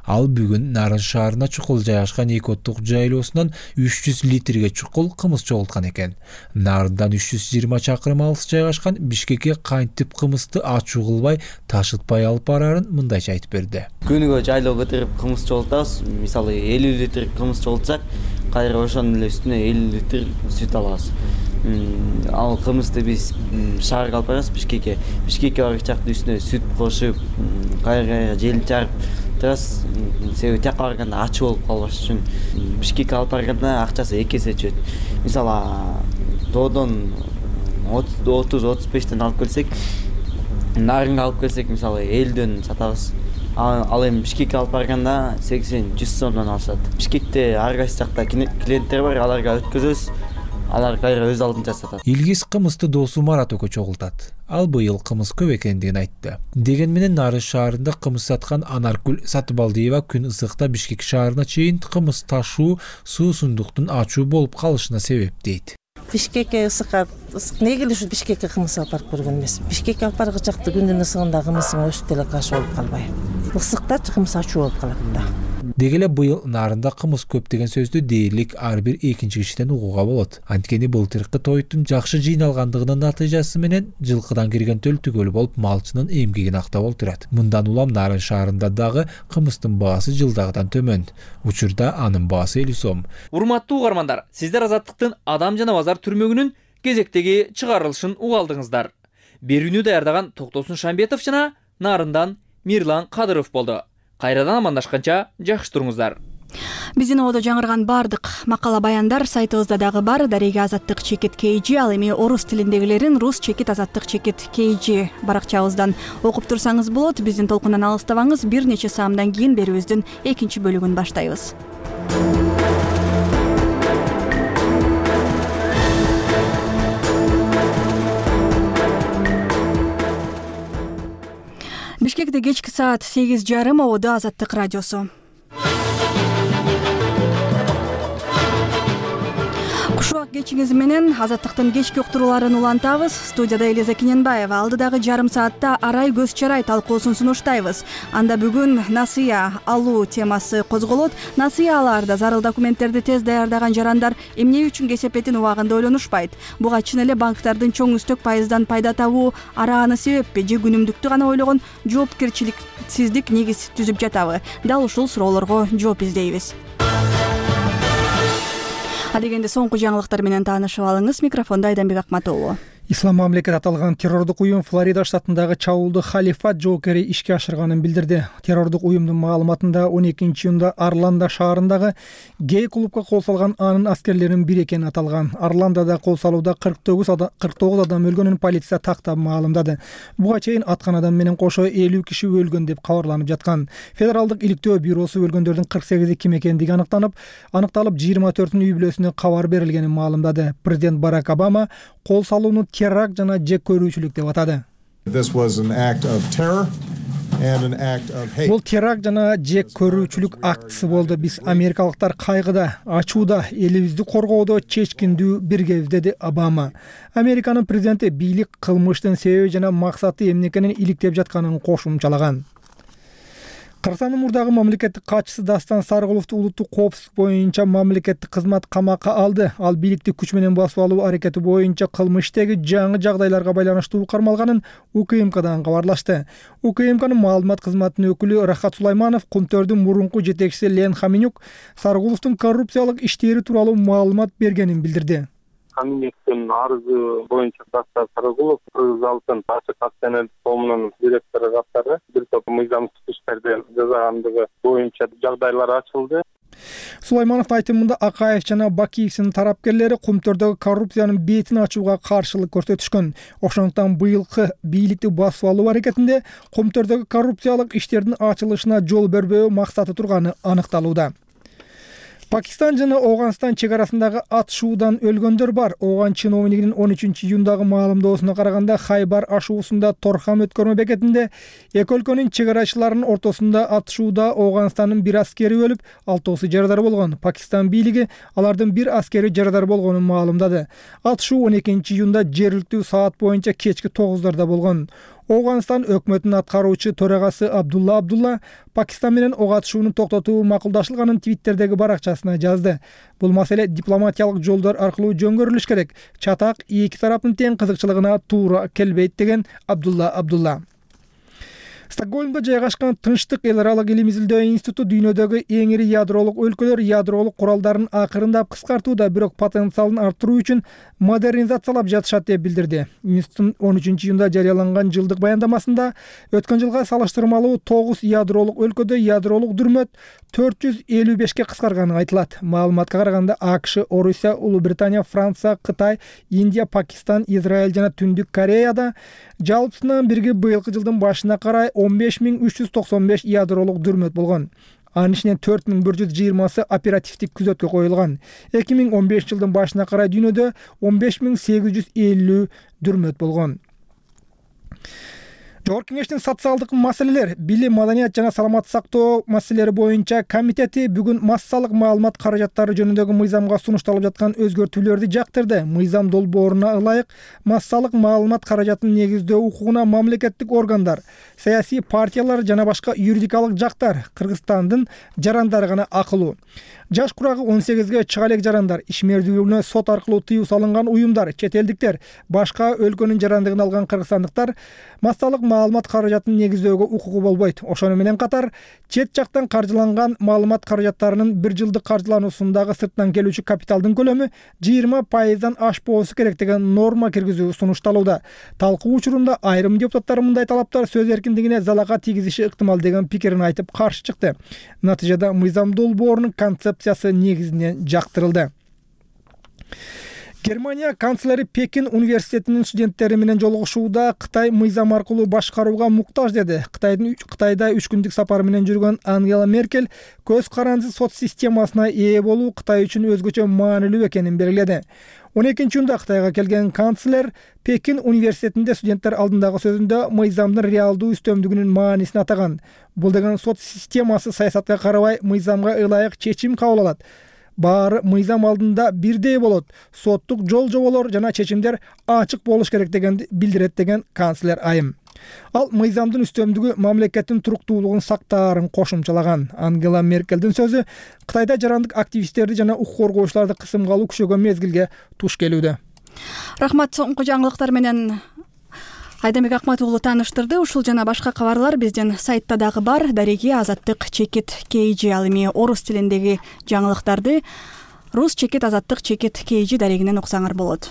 Ал бүгүн Нарын шаарына чукул жайгашкан 2 оттук жайлоосунан 300 литрге чукул кымыз чогулткан экен. Нарындан 320 чакырым алыс жайгашкан Бишкекке кантип кымызды ачуу кылбай, ташытпай алып барарын мындайча айтып берди. Күнүгө жайлоого кыдырып кымыз чогултабыз. Мисалы 50 литр кымыз чогултсак, кайра ошонун эле үстүнө 50 литр сүт алабыз. Ал кымызды биз шаарга алып барабыз Бишкекке. Бишкекке барган чакта үстүнө сүт кошуп, кайра желин чарып турабыз. Себеби тияка барганда ачуу болуп калбаш үчүн Бишкекке алып барганда акчасы 2 эсе түшөт. Мисалы тоодон 30-35тен алып келсек, Нарынга алып келсек, мисалы 50дөн сатабыз. Ал эми Бишкекке алып барганда 80-100 сомдон алышат. Бишкекте ар кайсы жакта клиенттер бар, аларга өткөзөбүз. Алар кайра өз алдынча сатат. Илгиз кымызды досу Марат экөө чогултат. Ал быйыл кымыз көп экендигин айтты. Деген менен Нарын шаарында кымыз саткан Анаркүл Сатыбалдиева күн ысыкта Бишкек шаарына чейин кымыз ташуу суусундуктун ачуу болуп калышына себеп дейт. Бишкекке ысык неге эле ушу Бишкекке кымыз алып барып көргөн эмес. Бишкекке алып барган чакта күндүн ысыгында кымыздын өсүп деле кашы болуп калбай. Ысыкта кымыз ачуу болуп калат да. Деги эле быйыл нарында кымыз көп деген сөздү дээрлик ар бир экинчи кишиден угууга болот. Анткени былтыркы тойтун жакшы жыйналгандыгынын натыйжасы менен жылкыдан кирген төл түгөл болуп малчынын эмгегин актап отурат. Мындан улам Нарын шаарында дагы кымыздын баасы жылдагыдан төмөн. Учурда анын баасы 50 сом. Урматтуу угармандар, сиздер Азаттыктын Адам жана базар түрмөгүнүн кезектеги чыгарылышын угалдыңыздар. Берүүнү даярдаган Токтосун Шамбетов жана Нарындан Мирлан Кадыров болду. Кайрадан амандашканча жакшы туруңуздар. Биздин ободо жаңырган бардык макала баяндар сайтыбызда дагы бар. Дарега Азаттык чекит KG, ал эми орус тилиндегилерин рус чекит Азаттык чекит KG баракчабыздан окуп турсаңыз болот. Биздин толкундан алыстабаңыз. Бир нече саамдан кийин берүүбүздүн экинчи бөлүгүн баштайбыз. Бишкекте кечки саат 8:30 ободо Азаттык радиосу. Кушубак кечиңиз менен Азаттыктын кечки уктурууларын улантабыз. Студияда Элиза Кененбаева. Алдыдагы жарым саатта арай көз чарай талкуусун сунуштайбыз. Анда бүгүн насыя алуу темасы козголот. Насыяларда зарыл документтерди тез даярдаган жарандар эмне үчүн кесепетин убагында ойлонушпайт? Буга чын эле банктардын чоң үстөк пайыздан пайда табуу арааны себеппи же күнүмдүктү гана ойлогон жоопкерчиликсиздик негиз түзүп жатабы? Дал ушул суроолорго жооп издейбиз. Адегенде соңку жаңылыктар менен таанышып алыңыз. Микрофонда Айданбек Акматова. Ислам мамлекет аталган террордук уюм Флорида штатындагы чабуулду халифат жоокери ишке ашырганын билдирди. Террордук уюмдун маалыматында 12-июнда Орландо шаарындагы гей клубка кол салган анын аскерлеринин бири экени аталган. Орландода кол салууда 49 адам өлгөнүн полиция тактап маалымдады. Буга чейин аткан адам менен кошо 50 киши өлгөн деп кабарланып жаткан. Федералдык иликтөө бюросу өлгөндөрдүн 48 ким экендиги аныкталып 24-үй бүлөсүнө кабар берилгенин маалымдады. Президент Барак Обама кол салууну теракт жана жек көрүүчүлүк деп атады. Бул теракт жана жек көрүүчүлүк актысы болду. Биз америкалыктар кайгыда, ачууда, элибизди коргоодо чечкиндүү биргебиз, деди Обама. Американын президенти бийлик кылмыштын себеби жана максаты эмне экенин иликтеп жатканын кошумчалаган. Кыргызстандын мурдагы мамлекеттик катчысы Дастан Сарыгуловду улуттук коопсуздук боюнча мамлекеттик кызмат камакка алды. Ал бийликти күч менен басып алуу аракети боюнча кылмыштагы жаңы жагдайларга байланыштуу кармалганын УКМКдан кабарлашты. УКМКнын маалымат кызматынын өкүлү Рахат Сулайманов Кумтөрдүн мурунку жетекчиси Лен Хаминюк Сарыгуловдун коррупциялык иштери тууралуу маалымат бергенин билдирди. Хаминюктун арызы боюнча Дастан Сарыгулов Кыргыз Алтын ачык акционерлик коомунун директору катары бир топ мыйзамсыз иштерди жасагандыгы боюнча жагдайлар ачылды. Сулаймановдун айтымында Акаев жана Бакиевдин тарапкерлери Кумтөрдөгү коррупциянын бетин ачууга каршылык көрсөтүшкөн. Ошондуктан быйылкы бийликти басып алуу аракетинде Кумтөрдөгү коррупциялык иштердин ачылышына жол бербөө максаты турганы аныкталууда. Пакистан жана Ооганстан чек арасындагы атышуудан өлгөндөр бар. Ооган чиновнигинин 13-июндагы маалымдоосуна караганда Хайбар ашуусунда Торхам өткөрмө бекетинде эки өлкөнүн чек арачыларынын ортосунда атышууда Ооганстандын бир аскери өлүп, 6 жарадар болгон. Пакистан бийлиги алардын бир аскери жарадар болгонун маалымдады. Атышуу 12-июнда жергиликтүү саат боюнча кечки 9:00 болгон. Ооганстан өкмөтүнүн аткаруучу төрагасы Абдулла Пакистан менен ок атышууну токтотуу макулдашылганын Твиттердеги баракчасына жазды. Бул маселе дипломатиялык жолдор аркылуу жөнгөрүлүш керек. Чатак эки тараптын тең кызыкчылыгына туура келбейт, деген Абдулла. Стокгольмдо жайгашкан Тынчтык эл аралык илим изилдөө институту дүйнөдөгү эң ири ядролук өлкөлөр ядролук куралдарын акырындап кыскартууда, бирок потенциалын арттыруу үчүн модернизациялап жатышат деп билдирди. Институттун 13-июнда жарыяланган жылдык баяндамасында өткөн жылга салыштырмалуу 9 ядролук өлкөдө ядролук дүрмөт 455ке кыскарганы айтылат. Маалыматка караганда AQSh, Орусия, Улуу Британия, Франция, Кытай, Индия, Пакистан, Израиль жана Түндүк Кореяда жалпысынан бирге быйылкы жылдын башына карай 15395 ядролук дүрмөт болгон. Анын ичинен 4120 оперативдик күзөткө коюлган. 2015 жылдын башына карай дүйнөдө 15850 дүрмөт болгон. Жогорку Кеңештин социалдык маселелер, билим, маданият жана саламаттык сактоо маселелери боюнча комитети бүгүн массалык маалымат каражаттары жөнүндөгү мыйзамга сунушталып жаткан өзгөртүүлөрдү жактырды. Мыйзам долбооруна ылайык массалык маалымат каражатын негиздөө укугуна мамлекеттик органдар, саясий партиялар жана башка юридикалык жактар, Кыргызстандын жарандары гана акылуу. Жаш курагы 18ге чыга элек жарандар, ишмердүүлүгүнө сот аркылуу тыюу салынган уюмдар, чет элдиктер, башка өлкөнүн жарандыгын алган кыргызстандыктар массалык маалымат каражатын негиздөөгө укугу болбойт. Ошону менен катар чет жактан каржыланган маалымат каражаттарынын 1 жылдык каржылануусундагы сырттан келүүчү капиталдын көлөмү 20%дан ашпоосу керек деген норма киргизүү сунушталууда. Талкуу учурунда айрым депутаттар мындай талаптар сөз эркиндигине залага тийгизиши ыктымал деген пикирин айтып каршы чыкты. Натыйжада мыйзам долбоорунун концепциясы негизинен жактырылды. Германия канцлери Пекин университетинин студенттери менен жолугушууда Кытай мыйзам аркылуу башкарууга муктаж деди. Кытайда 3 күндүк сапар менен жүргөн Ангела Меркель көз карандысыз сот системасына ээ болуу Кытай үчүн өзгөчө маанилүү экенин белгиледи. 12-июнда Кытайга келген канцлер Пекин университетинде студенттер алдындагы сөзүндө мыйзамдын реалдуу үстөмдүгүнүн маанисин атаган. Бул деген сот системасы саясатка карабай мыйзамга ылайык чечим кабыл алат. Баары мыйзам алдында бирдей болот. Соттук жол-жоболор жана чечимдер ачык болуш керек дегенди билдирет деген канцлер айым. Ал мыйзамдын үстөмдүгү мамлекеттин туруктуулугун сактаарын кошумчалаган. Ангела Меркелдин сөзү Кытайда жарандык активисттерди жана укук коргоочуларды кысымга алуу күчөгөн мезгилге туш келүүдө. Рахмат, соңку жаңылыктар менен Айдамбек Акмат уулу тааныштырды. Ушул жана башка кабарлар биздин сайтта дагы бар. Дареги Азаттык чекит KG, ал эми орус тилиндеги жаңылыктарды рус чекит Азаттык чекит KG дарегинен уксаңар болот.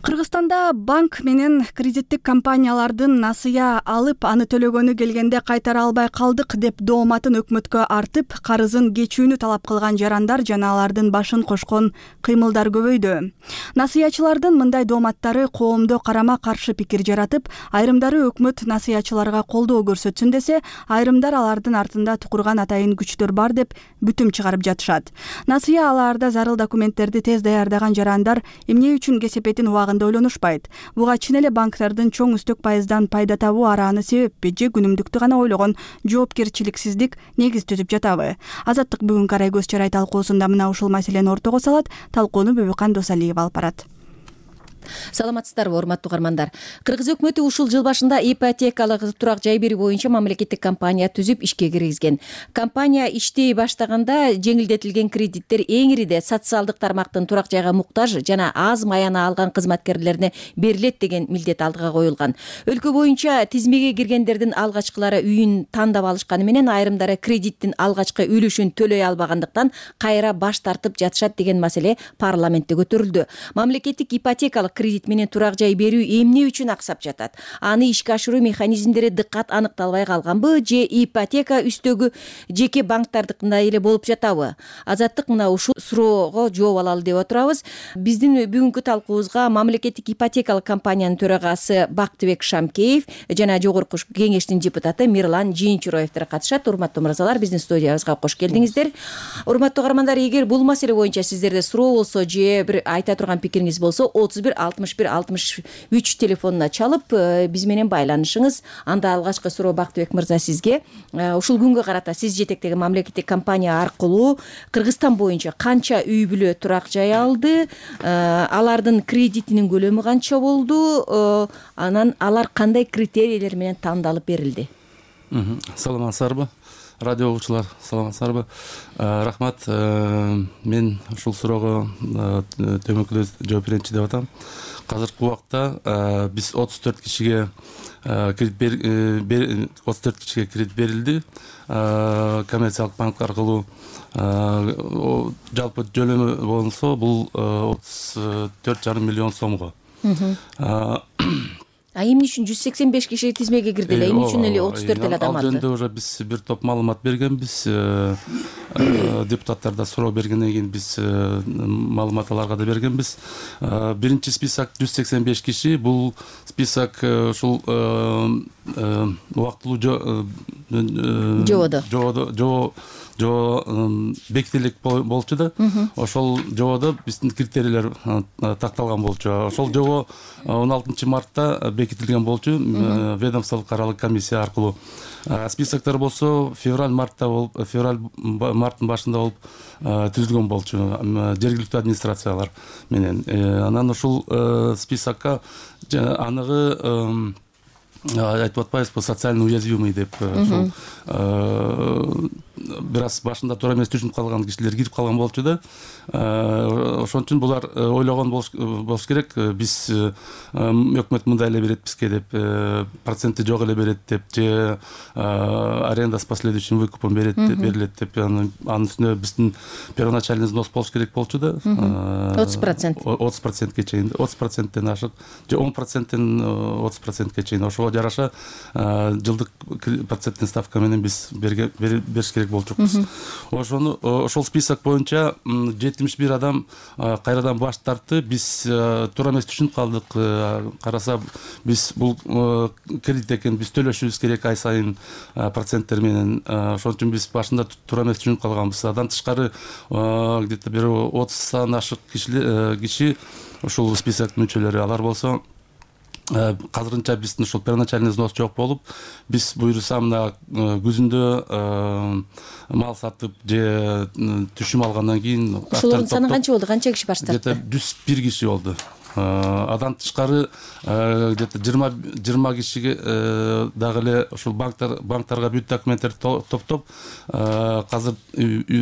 Кыргызстанда банк менен кредиттик компаниялардын насыя алып, аны төлөгөнү келгенде кайтара албай калдык деп дооматын өкмөткө артып, карызын кечүүнү талап кылган жарандар жана алардын башын кошкон кыймылдар көбөйдү. Насыячылардын мындай дооматтары коомдо карама-каршы пикир жаратып, айрымдары өкмөт насыячыларга колдоо көрсөтсүн десе, айрымдар алардын артында тукурган атайын күчтөр бар деп бүтүм чыгарып жатышат. Насыя алаарда зарыл документтерди тез даярдаган жарандар эмне үчүн кесепетин убагында ойлонушпайт. Буга чын эле банктардын чоң үстөк пайыздан пайда табуу арааны себеппи же күнүмдүктү гана ойлогон жоопкерчиликсиздик негиз түзүп жатабы? Азаттык бүгүнкү арай көз чарай талкуусунда мына ушул маселени ортого салат. Талкууну Бөбөкан Досалиева алып барат. Саламатсыздарбы, урматтуу угармандар. Кыргыз өкмөтү ушул жыл башында ипотекалык турак жай берүү боюнча мамлекеттик компания түзүп ишке киргизген. Компания иштей баштаганда жеңилдетилген кредиттер эң ириде социалдык тармактын турак жайга муктаж жана аз маяна алган кызматкерлерине берилет деген милдет алдыга коюлган. Өлкө боюнча тизмеге киргендердин алгачкылары үйүн тандап алышканы менен айрымдары кредиттин алгачкы үлүшүн төлөй албагандыктан кайра баш тартып жатышат деген маселе парламентте көтөрүлдү. Мамлекеттик ипотекалык кредит менен турак жай берүү эмне үчүн аксап жатат? Аны ишке ашыруу механизмдери дыккат аныкталбай калганбы же ипотека үстөгү жеке банктардыкындай эле болуп жатабы? Азаттык мына ушул суроого жооп алалы деп отурабыз. Биздин бүгүнкү талкуубузга мамлекеттик ипотекалык компаниянын төрагасы Бактыбек Шамкеев жана жогорку кеңештин депутаты Мирлан Жийинчуроевдер катышат. Урматтуу мырзалар, биздин студиябызга кош келдиңиздер. Урматтуу угармандар, эгер бул маселе боюнча сиздерде суроо болсо же бир айта турган пикириңиз болсо 31-61-63 телефонуна чалып биз менен байланышыңыз. Анда алгачкы суроо Бактыбек мырза сизге. Ушул күнгө карата сиз жетектеген мамлекеттик компания аркылуу Кыргызстан боюнча канча үй бүлө турак жай алды? Алардын кредитинин көлөмү канча болду? Анан алар кандай критерийлер менен тандалып берилди? Саламатсыздарбы? Радио угуучулар, саламатсыздарбы? Рахмат. Мен ушул суроого төмөнкүлөп жооп берейинчи деп атам. Азыркы убакта биз 34 кишиге кредит берилди. Коммерциялык банк аркылуу жалпы төлөмү болсо бул 34,5 миллион сомго. Эмне үчүн 185 киши тизмеге кирди эле? Эмне үчүн эле 34 эле адам алды? Ал жөнүндө уже биз бир топ маалымат бергенбиз. Депутаттар да суроо бергенден кийин биз маалымат аларга да бергенбиз. Биринчи список 185 киши. Бул список ушул убактылуу жобо бекитилик болчу да. Ошол жободо биздин критерийлер такталган болчу. Ошол жобо 16 мартта бекитилген болчу ведомстволук аралык комиссия аркылуу. Списоктор болсо марттын башында болуп түзүлгөн болчу жергиликтүү администрациялар менен. Анан ушул списокко аныгы айтып атпайбызбы, социально уязвимый деп ушул бир аз башында туура эмес түшүнүп калган кишилер кирип калган болчу да. Ошон үчүн булар ойлогон болуш керек, биз өкмөт мындай эле берет бизге деп, проценти жок эле берет деп, же аренда с последующим выкупом берилет деп, анын үстүнө биздин первоначальный взнос болуш керек болчу да. 30%ке чейин, 30%тен ашык, же 10%тен 30%ке чейин. Ошого жараша жылдык проценттин ставка менен биз бериш керек болчукпуз. Ошол список боюнча 71 адам кайрадан баш тартты. Биз туура эмес түшүнүп калдык. Караса биз бул кредит экен, биз төлөшүбүз керек ай сайын проценттер менен. Ошон үчүн биз башында туура эмес түшүнүп калганбыз. Андан тышкары где-то бир 30 ашык киши ушул списоктун мүчөлөрү. Алар болсо азырынча биздин ушул первоначальный взнос жок болуп, биз буюрса мына күзүндө мал сатып же түшүм алгандан кийин ошолордун саны канча болду? Канча киши баш тартты? Где-то 101 киши болду. Адан тышкары где-то 20 кишиге дагы эле ушул банктарга бүт документтерди топтоп азыр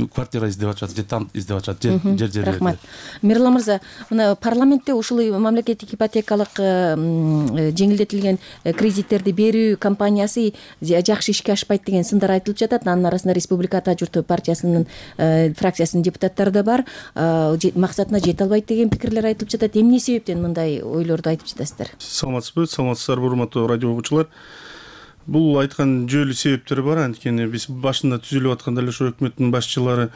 квартира издеп атышат, же там издеп атышат, жер. Рахмат. Мирлан мырза, мына парламентте ушул мамлекеттик ипотекалык жеңилдетилген кредиттерди берүү компаниясы жакшы ишке ашпайт деген сындар айтылып жатат. Анын арасында Республика Ата журты партиясынын фракциясынын депутаттары да бар. Максатына жете албайт деген пикирлер айтылып жатат. Эмне себептен мындай ойлорду айтып жатасыздар? Саламатсыздарбы, урматтуу радио угуучулар. Бул айткан жүйөлүү себептери бар. Анткени биз башында түзүлүп атканда эле ошо өкмөттүн башчылары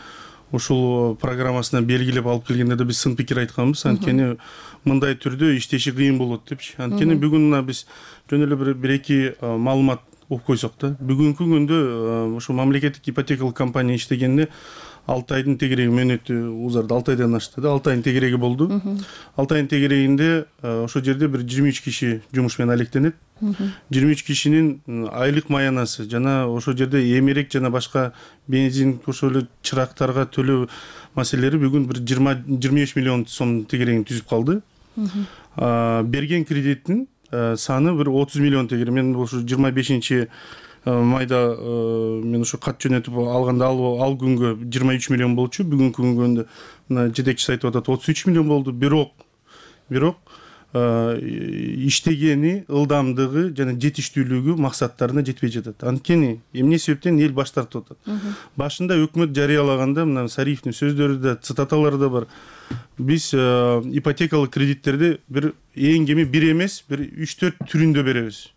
ушул программасына белгилеп алып келгенде да биз сын пикир айтканбыз. Анткени мындай түрдө иштеши кыйын болот депчи. Анткени бүгүн мына биз жөн эле бир эки маалымат угуп койсок да, бүгүнкү күндө ошо мамлекеттик ипотекалык компания иштегенде 6 айдын тегереги мөөнөтү узарды, 6 айдан ашты да, 6 айдын тегереги болду. 6 айдын тегерегинде ошол жерде бир 23 киши жумуш менен алектенет. 23 кишинин айлык маянасы жана ошол жерде эмерек жана башка бензин, ошол эле чырактарга төлөө маселелери бүгүн бир 25 миллион сом тегерегин түзүп калды. Берген кредиттин саны бир 30 миллион тегере. Мен ошо 25 майда мен ошо кат жөнөтүп алганда ал күнгө 23 миллион болчу. Бүгүнкү күнгө мына жетекчиси айтып атат 33 миллион болду. Бирок иштегени, ылдамдыгы жана жетиштүүлүгү максаттарына жетпей жатат. Анткени эмне себептен эл баш тартып атат? Башында өкмөт жарыялаганда мына Сариевдин сөздөрү да, цитаталары да бар. Биз ипотекалык кредиттерди бир эң кеми бир эмес, бир 3-4 түрүндө беребиз.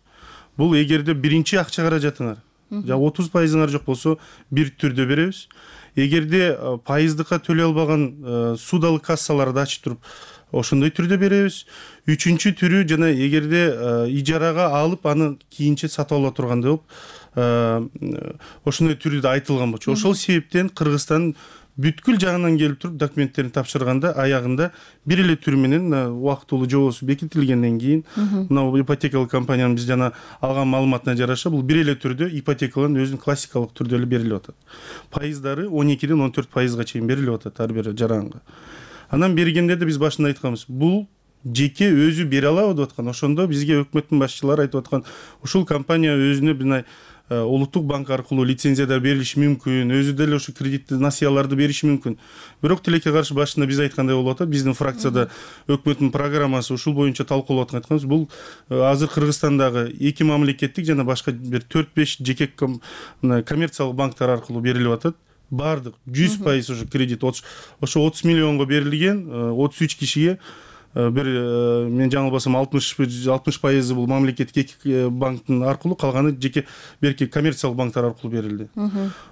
Бул эгерде биринчи акча каражатыңар, жа 30%ыңар жок болсо, бир түрдө беребиз. Эгерде пайыздыкка төлөй албаган судалык кассаларды ачып туруп, ошондой түрдө беребиз. Үчүнчү түрү жана эгерде ижарага алып, аны кийинче сатып ала тургандай болуп, ошондой түрү да айтылган болчу. Ошол себептен Кыргызстан бүткүл жагынан келип туруп документтерин тапшырганда аягында бир эле түр менен убактылуу жобосу бекитилгенден кийин мына ипотекалык компаниянын биз жана алган маалыматына жараша бул бир эле түрдө ипотекалын өзүнүн классикалык түрдө эле берилип атат. Пайыздары 12-ден 14%га чейин берилип атат ар бир жаранга. Анан бергенде да биз башында айтканбыз, бул жеке өзү бере алабы деп аткан. Ошондо бизге өкмөттүн башчылары айтып аткан, ушул компания өзүнө мына улуттук банк аркылуу лицензиядар берилиши мүмкүн, өзү деле ошо кредитти насыяларды бериши мүмкүн. Бирок тилекке каршы башында биз айткандай болуп атат, биздин фракцияда өкмөттүн программасы ушул боюнча талкуулап атканбыз. Бул азыр Кыргызстандагы эки мамлекеттик жана башка бир 4-5 жеке коммерциялык банктар аркылуу берилип атат. Бардык 100% ошо кредит ошо 30 миллионго берилген, 33 кишиге бир мен жаңылбасам 60% бул мамлекеттик эки банктын аркылуу, калганы жеке берки коммерциялык банктар аркылуу берилди.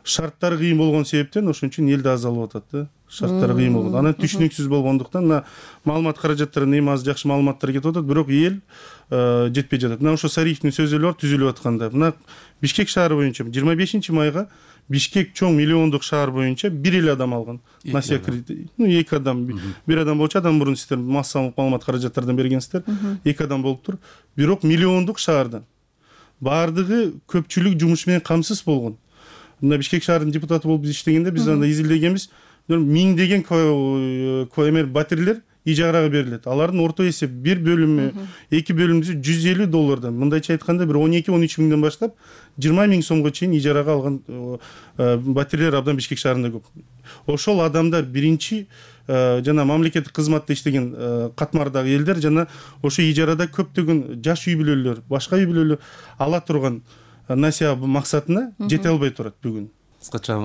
Шарттары кыйын болгон себептен ошон үчүн эл да аз алып атат да. Шарттары кыйын болгон. Анан түшүнүксүз болгондуктан мына маалымат каражаттарына эми аз жакшы маалыматтар кетип атат, бирок эл жетпей жатат. Мына ошо Сариевдин сөздөрү бар түзүлүп атканда. Мына Бишкек шаары боюнча 25 майга Бишкек чоң миллиондук шаар боюнча бир эле адам алган насия кредит. Эки адам. Бир адам болчу, адам мурун сиздер массалык маалымат каражаттардан бергенсиздер. Эки адам болуптур. Бирок миллиондук шаардан баардыгы көпчүлүк жумуш менен камсыз болгон. Мына Бишкек шаарынын депутаты болуп биз иштегенде биз анда изилдегенбиз, миңдеген батирелер ижарага берилет. Алардын орто эсеп бир бөлүмү, эки бөлүмүсү $150. Мындайча айтканда бир 12-13 миңден баштап 20 миң сомго чейин ижарага алган батирелер абдан Бишкек шаарында көп. Ошол адамдар биринчи жана мамлекеттик кызматта иштеген катмардагы элдер жана ошо ижарада көптөгөн жаш үй бүлөлөр, башка үй бүлөлөр ала турган насия максатына жете албай турат бүгүн. Кыскача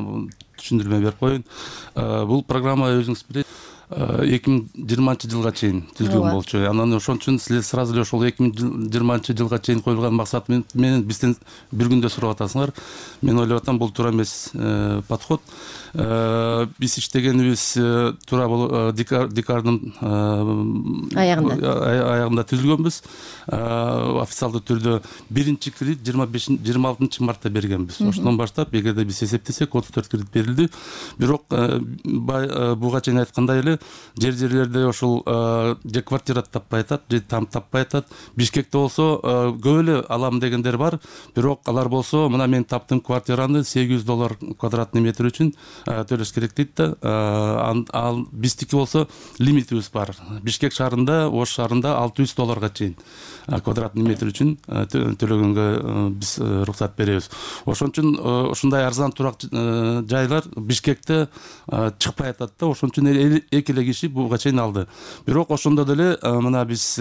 түшүндүрмө берип коеюн. Бул программа өзүңүз билет 2020 жылга чейин түзүлгөн болчу. Анан ошон үчүн силер сразу эле ошол 2020 жылга чейин коюлган максат менен бизден бир күндө сурап атасыңар. Мен ойлоп атам, бул туура эмес подход. Биз иштегенибиз туура декабрдын аягында түзүлгөнбүз. Официалдуу түрдө биринчи кредит 26 мартта бергенбиз. Ошондон баштап эгерде биз эсептесек 34 кредит берилди. Бирок буга чейин айткандай эле жерлерде ошол же квартира таппай атат, же там таппай атат. Бишкекте болсо көп эле алам дегендер бар. Бирок алар болсо, мына мен таптым квартираны $800 квадратный метр үчүн төлөш керек дейт да. Ал биздики болсо лимитибиз бар. Бишкек шаарында, Ош шаарында $600 чейин квадратный метр үчүн төлөгөнгө биз уруксат беребиз. Ошон үчүн ушундай арзан турак жайлар Бишкекте чыкпай атат да. Ошон үчүн эки эле киши буга чейин алды. Бирок ошондо деле мына биз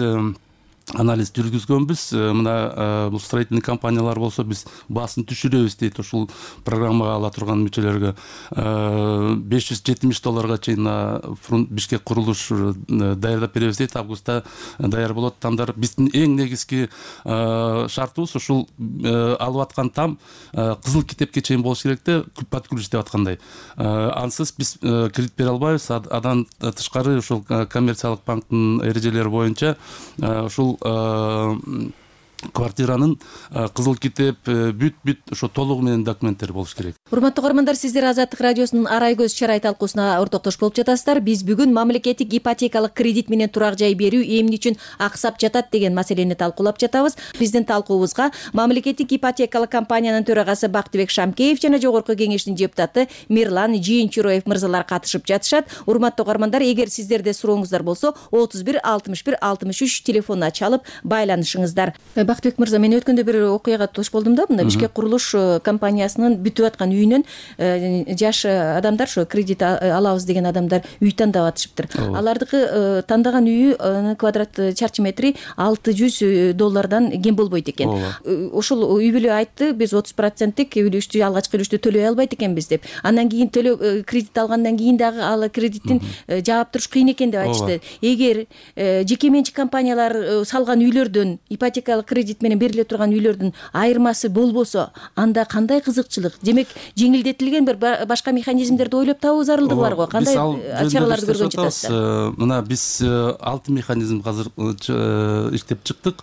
анализ жүргүзгөнбүз. Мына бул строительный компаниялар болсо биз баасын түшүрөбүз дейт ушул программага ала турган мүчөлөргө. $570 чейин Бишкек курулуш даярдап беребиз дейт. Августта даяр болот тамдар. Биздин эң негизги шартыбыз ушул алып аткан там кызыл китепке чейин болуш керек да, под ключ деп аткандай. Ансыз биз кредит бере албайбыз. Адан тышкары ушул коммерциялык банктын эрежелери боюнча ушул квартиранын кызыл китеп бүт ошо толугу менен документтери болуш керек. Урматтуу көрөрмандар, сиздер Азаттык радиосунун Арай көз чарай талкуусуна ортоктош болуп жатасыздар. Биз бүгүн мамлекеттик ипотекалык кредит менен турак жай берүү эмне үчүн аксап жатат деген маселени талкуулап жатабыз. Биздин талкуубузга мамлекеттик ипотекалык компаниянын төрагасы Бактыбек Шамкеев жана жогорку кеңештин депутаты Мирлан Жийинчуроев мырзалар катышып жатышат. Урматтуу көрөрмандар, эгер сиздерде сурооңуздар болсо 31 61 63 телефонуна чалып байланышыңыздар. Бактыбек мырза, мен өткөндө бир окуяга тош болдум да. Мында Бишкек курулуш компаниясынын бүтүп аткан үйүнөн жаш адамдар, ошо кредит алабыз деген адамдар үй тандап атышыптыр. Алардыкы тандаган үйү квадрат чарчы метри $600 кем болбойт экен. Ошол үй бүлө айтты, биз 30%тик үлүштү, алгачкы үлүштү төлөй албайт экенбиз деп. Андан кийин кредит алгандан кийин дагы ал кредиттин жаап туруш кыйын экен деп айтышты. Эгер жеке менчик компаниялар салган үйлөрдөн, ипотекалык кредит менен бериле турган үйлөрдүн айырмасы болбосо, анда кандай кызыкчылык? Демек, жеңилдетилген бир башка механизмдерди ойлоп табуу зарылдыгы бар го. Кандай чараларды көргөн жатасыздар? Мына биз 6 механизм азыр иштеп чыктык.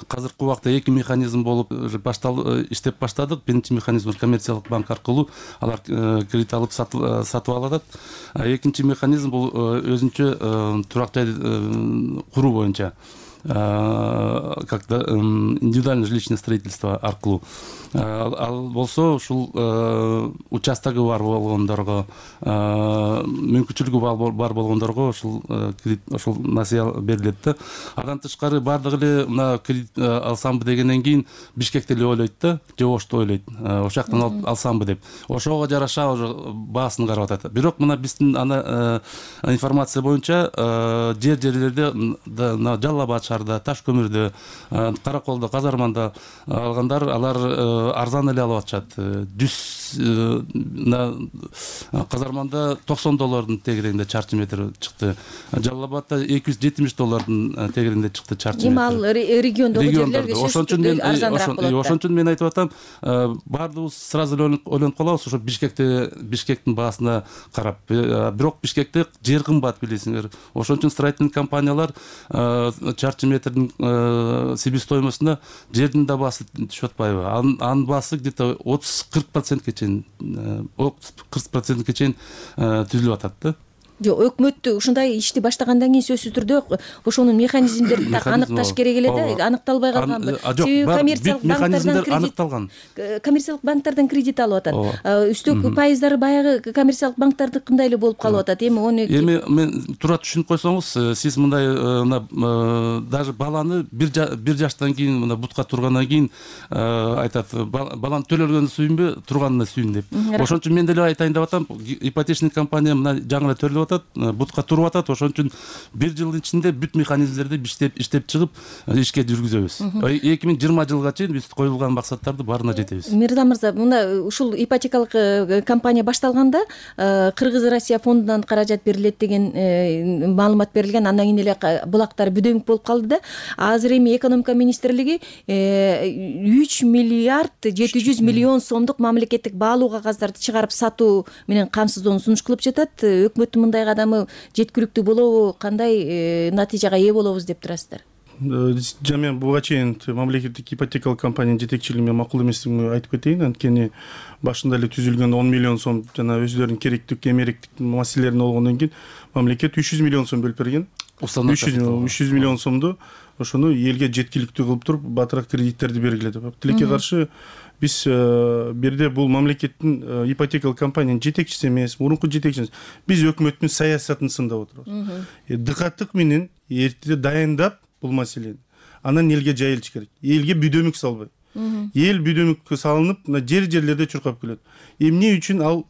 Азыркы убакта 2 механизм болуп иштеп баштадык. Биринчи механизм коммерциялык банк аркылуу алар кредит алып сатып алат. Экинчи механизм бул өзүнчө турак жай куруу боюнча, как-то индивидуальное жилищное строительство аркылуу. Ал болсо ушул участогу бар болгондорго, мүмкүнчүлүгү бар болгондорго ушул кредит, ушул насыя берилет да. Андан тышкары бардыгы эле мына кредит алсамбы дегенден кийин Бишкекте эле ойлойт да, же Ошто ойлойт. Ошол жактан алсамбы деп. Ошого жараша баасын карап атат. Бирок мына биздин ана информация боюнча жерлерде Жалал Абад шаарында, Таш көмүрдө, Караколдо, Казарманда алгандар, алар арзан эле алып атышат. Казарманда $90 тегерегинде чарчы метр чыкты. Жалал Абадда $270 тегерегинде чыкты чарчы метр. Эми ал региондогу жерлерге ошон үчүн мен айтып атам, баардыгыбыз сразу эле ойлонуп калабыз, ошо Бишкектин баасына карап. Бирок Бишкекте жер кымбат, билесиңер. Ошон үчүн строительный компаниялар чарчы метрдин себестоимостуна жердин да баасы түшүп атпайбы? Анын баасы где-то 30-40%ке чейин 40%ке чейин түзүлүп атат да. Жок, өкмөт ушундай ишти баштагандан кийин сөзсүз түрдө ошонун механизмдерин так аныкташ керек эле да, аныкталбай калганбы? Себеби коммерциялык банктардан кредит алып атат. Үстөк пайыздары баягы коммерциялык банктардыкындай эле болуп калып атат. Эми мен туура түшүнүп койсоңуз, сиз мындай даже баланы бир жаштан кийин мына бутка тургандан кийин айтат, баланы төлөлгөнү сүйүнбө, турганына сүйүн деп. Ошон үчүн мен деле айтайын деп атам, ипотечный компания мына жаңы эле төлөп бутка туруп атат. Ошон үчүн бир жылдын ичинде бүт механизмдерди иштеп чыгып ишке жүргүзөбүз. 2020 жылга чейин биз коюлган максаттарды баарына жетебиз. Мирза мырза, мына ушул ипотекалык компания башталганда Кыргыз-Россия фондунан каражат берилет деген маалымат берилген. Андан кийин эле булактар бүдөңүк болуп калды да. Азыр эми экономика министрлиги 3 миллиард 700 миллион сомдук мамлекеттик баалуу кагаздарды чыгарып сатуу менен камсыздоону сунуш кылып жатат. Өкмөттүн мындай кадамы жеткиликтүү болобу, кандай натыйжага ээ болобуз деп турасыздар? Мен буга чейин мамлекеттик ипотекалык компаниянын жетекчилиги менен макул эместигин айтып кетейин. Анткени башында эле түзүлгөн 10 миллион сом жана өздөрүнүн керектик, эмеректик маселелерин болгондон кийин мамлекет 300 миллион сом бөлүп берген. 300 миллион сомду ошону элге жеткиликтүү кылып туруп батыраак кредиттерди бергиле деп. Тилекке каршы биз бирде бул мамлекеттин ипотекалык компаниянын жетекчиси эмес, мурунку жетекчиси. Биз өкмөттүн саясатын сындап отурабыз. Дыкаттык менен эртеде дайындап бул маселени анан элге жайылыш керек. Элге бүдөмүк салбай. Эл бүдөмүк салынып, жерлерде чуркап келет. Эмне үчүн ал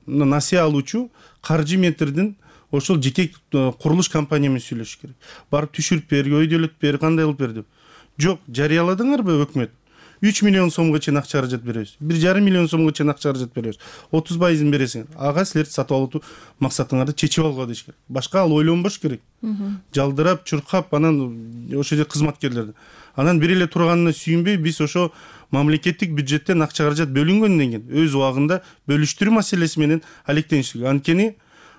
насыя алуучу каржы метрдин ошол жеке курулуш компания менен сүйлөшүш керек. Барып түшүрүп бер, өйдөлөт бер, кандай кылып бер деп. Жок, жарыяладыңарбы өкмөт? 3 миллион сомго чейин акча каражат беребиз. 1,5 миллион сомго чейин акча каражат беребиз. 30% бересиңер. Ага силер сатып алуу максатыңарды чечип алгыла деш керек. Башка ал ойлонбош керек. Жалдырап, чуркап, анан ошо жерде кызматкерлерди. Анан бир эле турганына сүйүнбөй, биз ошо мамлекеттик бюджеттен акча каражат бөлүнгөндөн кийин өз убагында бөлүштүрүү маселеси менен алектениш керек. Анткени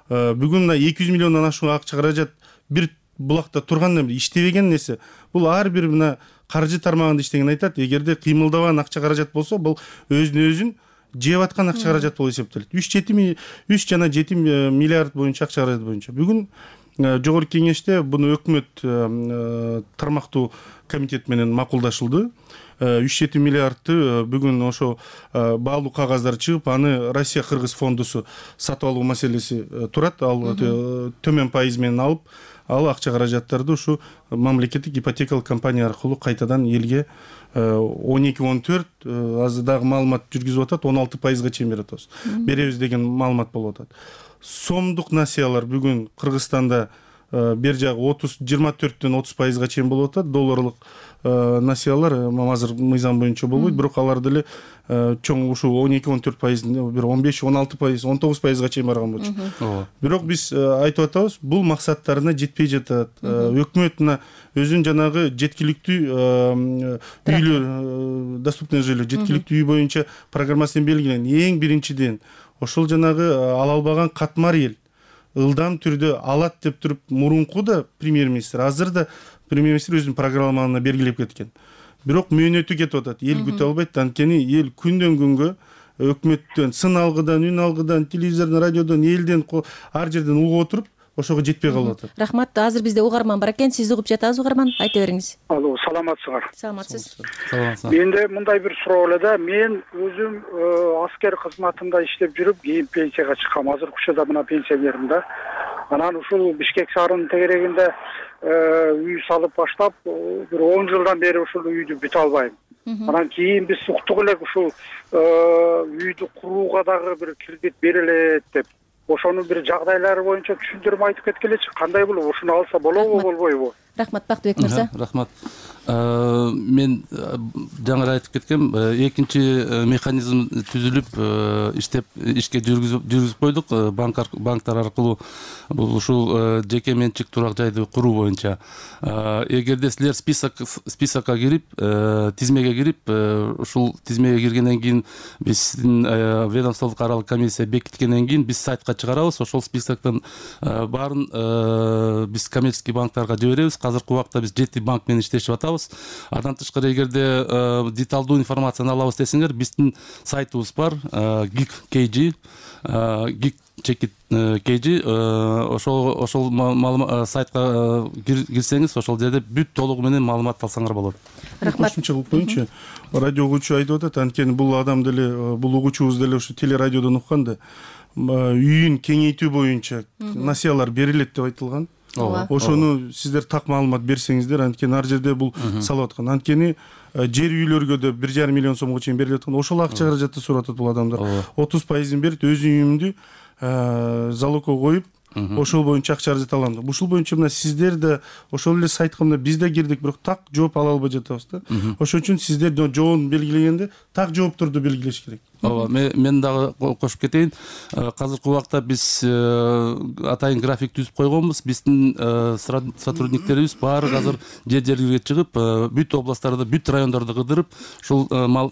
бүгүн 200 миллиондон ашуун акча каражат бир булакта тургандан бери иштебеген нерсе. Бул ар бир мына каржы тармагында иштеген айтат, эгерде кыймылдабаган акча каражат болсо, бул өзүн жеп аткан акча каражат болуп эсептелет. 3 жана 7 миллиард боюнча акча каражат боюнча. Бүгүн жогорку кеңеште буну өкмөт тармактуу комитет менен макулдашылды. 3-7 миллиардты бүгүн ошо баалуу кагаздар чыгып, аны Россия Кыргыз фондусу сатып алуу маселеси турат. Ал төмөн пайыз менен алып, ал акча каражаттарды ушу мамлекеттик ипотекалык компания аркылуу кайтадан элге 12-14 азыр дагы маалымат жүргүзүп атат, 16%га чейин беребиз. Беребиз деген маалымат болуп атат. Сомдук насыялар бүгүн Кыргызстанда бер жагы 24-төн 30%га чейин болуп атат. Долларлык насыялар азыр мыйзам боюнча болбойт, бирок алар деле чоң ушу 12-14%, бир 15-16%, 19%га чейин барган болчу. Бирок биз айтып атабыз, бул максаттарына жетпей жатат. Өкмөт өзүнүн жанагы жеткиликтүү үйлөр, доступный жилье, жеткиликтүү үй боюнча программасын белгилеген. Эң биринчиден ошол жанагы ала албаган катмар эл ылдам түрдө алат деп туруп мурунку да премьер-министр, азыр да премьер-министр өзүнүн программаларына белгилеп кеткен. Бирок мөөнөтү кетип атат. Эл күтө албайт. Анткени эл күндөн күнгө өкмөттөн, сын алгыдан, үн алгыдан, телевизордон, радиодон, элден, ар жерден угуп отуруп, ошого жетпей калып атат. Рахмат. Азыр бизде угарман бар экен. Сиз угуп жатасыз, угарман. Айта бериңиз. Алло, саламатсыздар. Саламатсыз. Менде мындай бир суроо эле да. Мен өзүм аскер кызматында иштеп жүрүп, кийин пенсияга чыккам. Азыр учурда мына пенсионермин да. Анан ушул Бишкек шаарынын тегерегинде үй салып баштап, бир 10 жылдан бери ушул үйдү бүтө албайм. Анан кийин биз уктук элек ушул үйдү курууга дагы бир кредит берилет деп. Ошонун бир жагдайлары боюнча түшүндүрмө айтып кеткилечи. Кандай болот? Ушуну алса болобу, болбойбу? Рахмат, Бактыбек мырза. Рахмат. Мен жаңы айтып кеткем, экинчи механизм түзүлүп, ишке жүргүзүп койдук банктар аркылуу. Бул ушул жеке менчик турак жайды куруу боюнча. Эгерде силер списокко кирип, тизмеге кирип, ушул тизмеге киргенден кийин биздин ведомстволук аралык комиссия бекиткенден кийин биз сайтка чыгарабыз. Ошол списоктон баарын биз коммерческий банктарга жиберебиз. Азыркы убакта биз 7 банк менен иштешип атабыз. алабыз. Андан тышкары эгерде деталдуу информацияны алабыз десеңер, биздин сайтыбыз бар, geek.kg, geek.kg, ошол сайтка кирсеңиз, ошол жерде бүт толугу менен маалымат алсаңар болот. Рахмат. Кошумча кылып коеюнчу. Радио угуучу айтып атат, анткени бул адам деле, бул угуучубуз деле ушу телерадиодон уккан да, үйүн кеңейтүү боюнча насыялар берилет деп айтылган. Ошону сиздер так маалымат берсеңиздер, анткени ар жерде бул салып аткан. Анткени жер үйлөргө да 1,5 миллион сомго чейин берилет аткан. Ошол акча каражатты сурап атат бул адамдар. 30% берип, өз үйүмдү залогко коюп, ошол боюнча акча каражат алам деп. Ушул боюнча мына сиздер да ошол эле сайтка мына биз да кирдик, бирок так жооп ала албай жатабыз да. Ошон үчүн сиздер жообун белгилегенде так жоопторду белгилеш керек. Ооба, мен дагы кошуп кетейин. Азыркы убакта биз атайын график түзүп койгонбуз. Биздин сотрудниктерибиз баары азыр жер-жерге чыгып, бүт областтарда, бүт райондордо кыдырып, ушул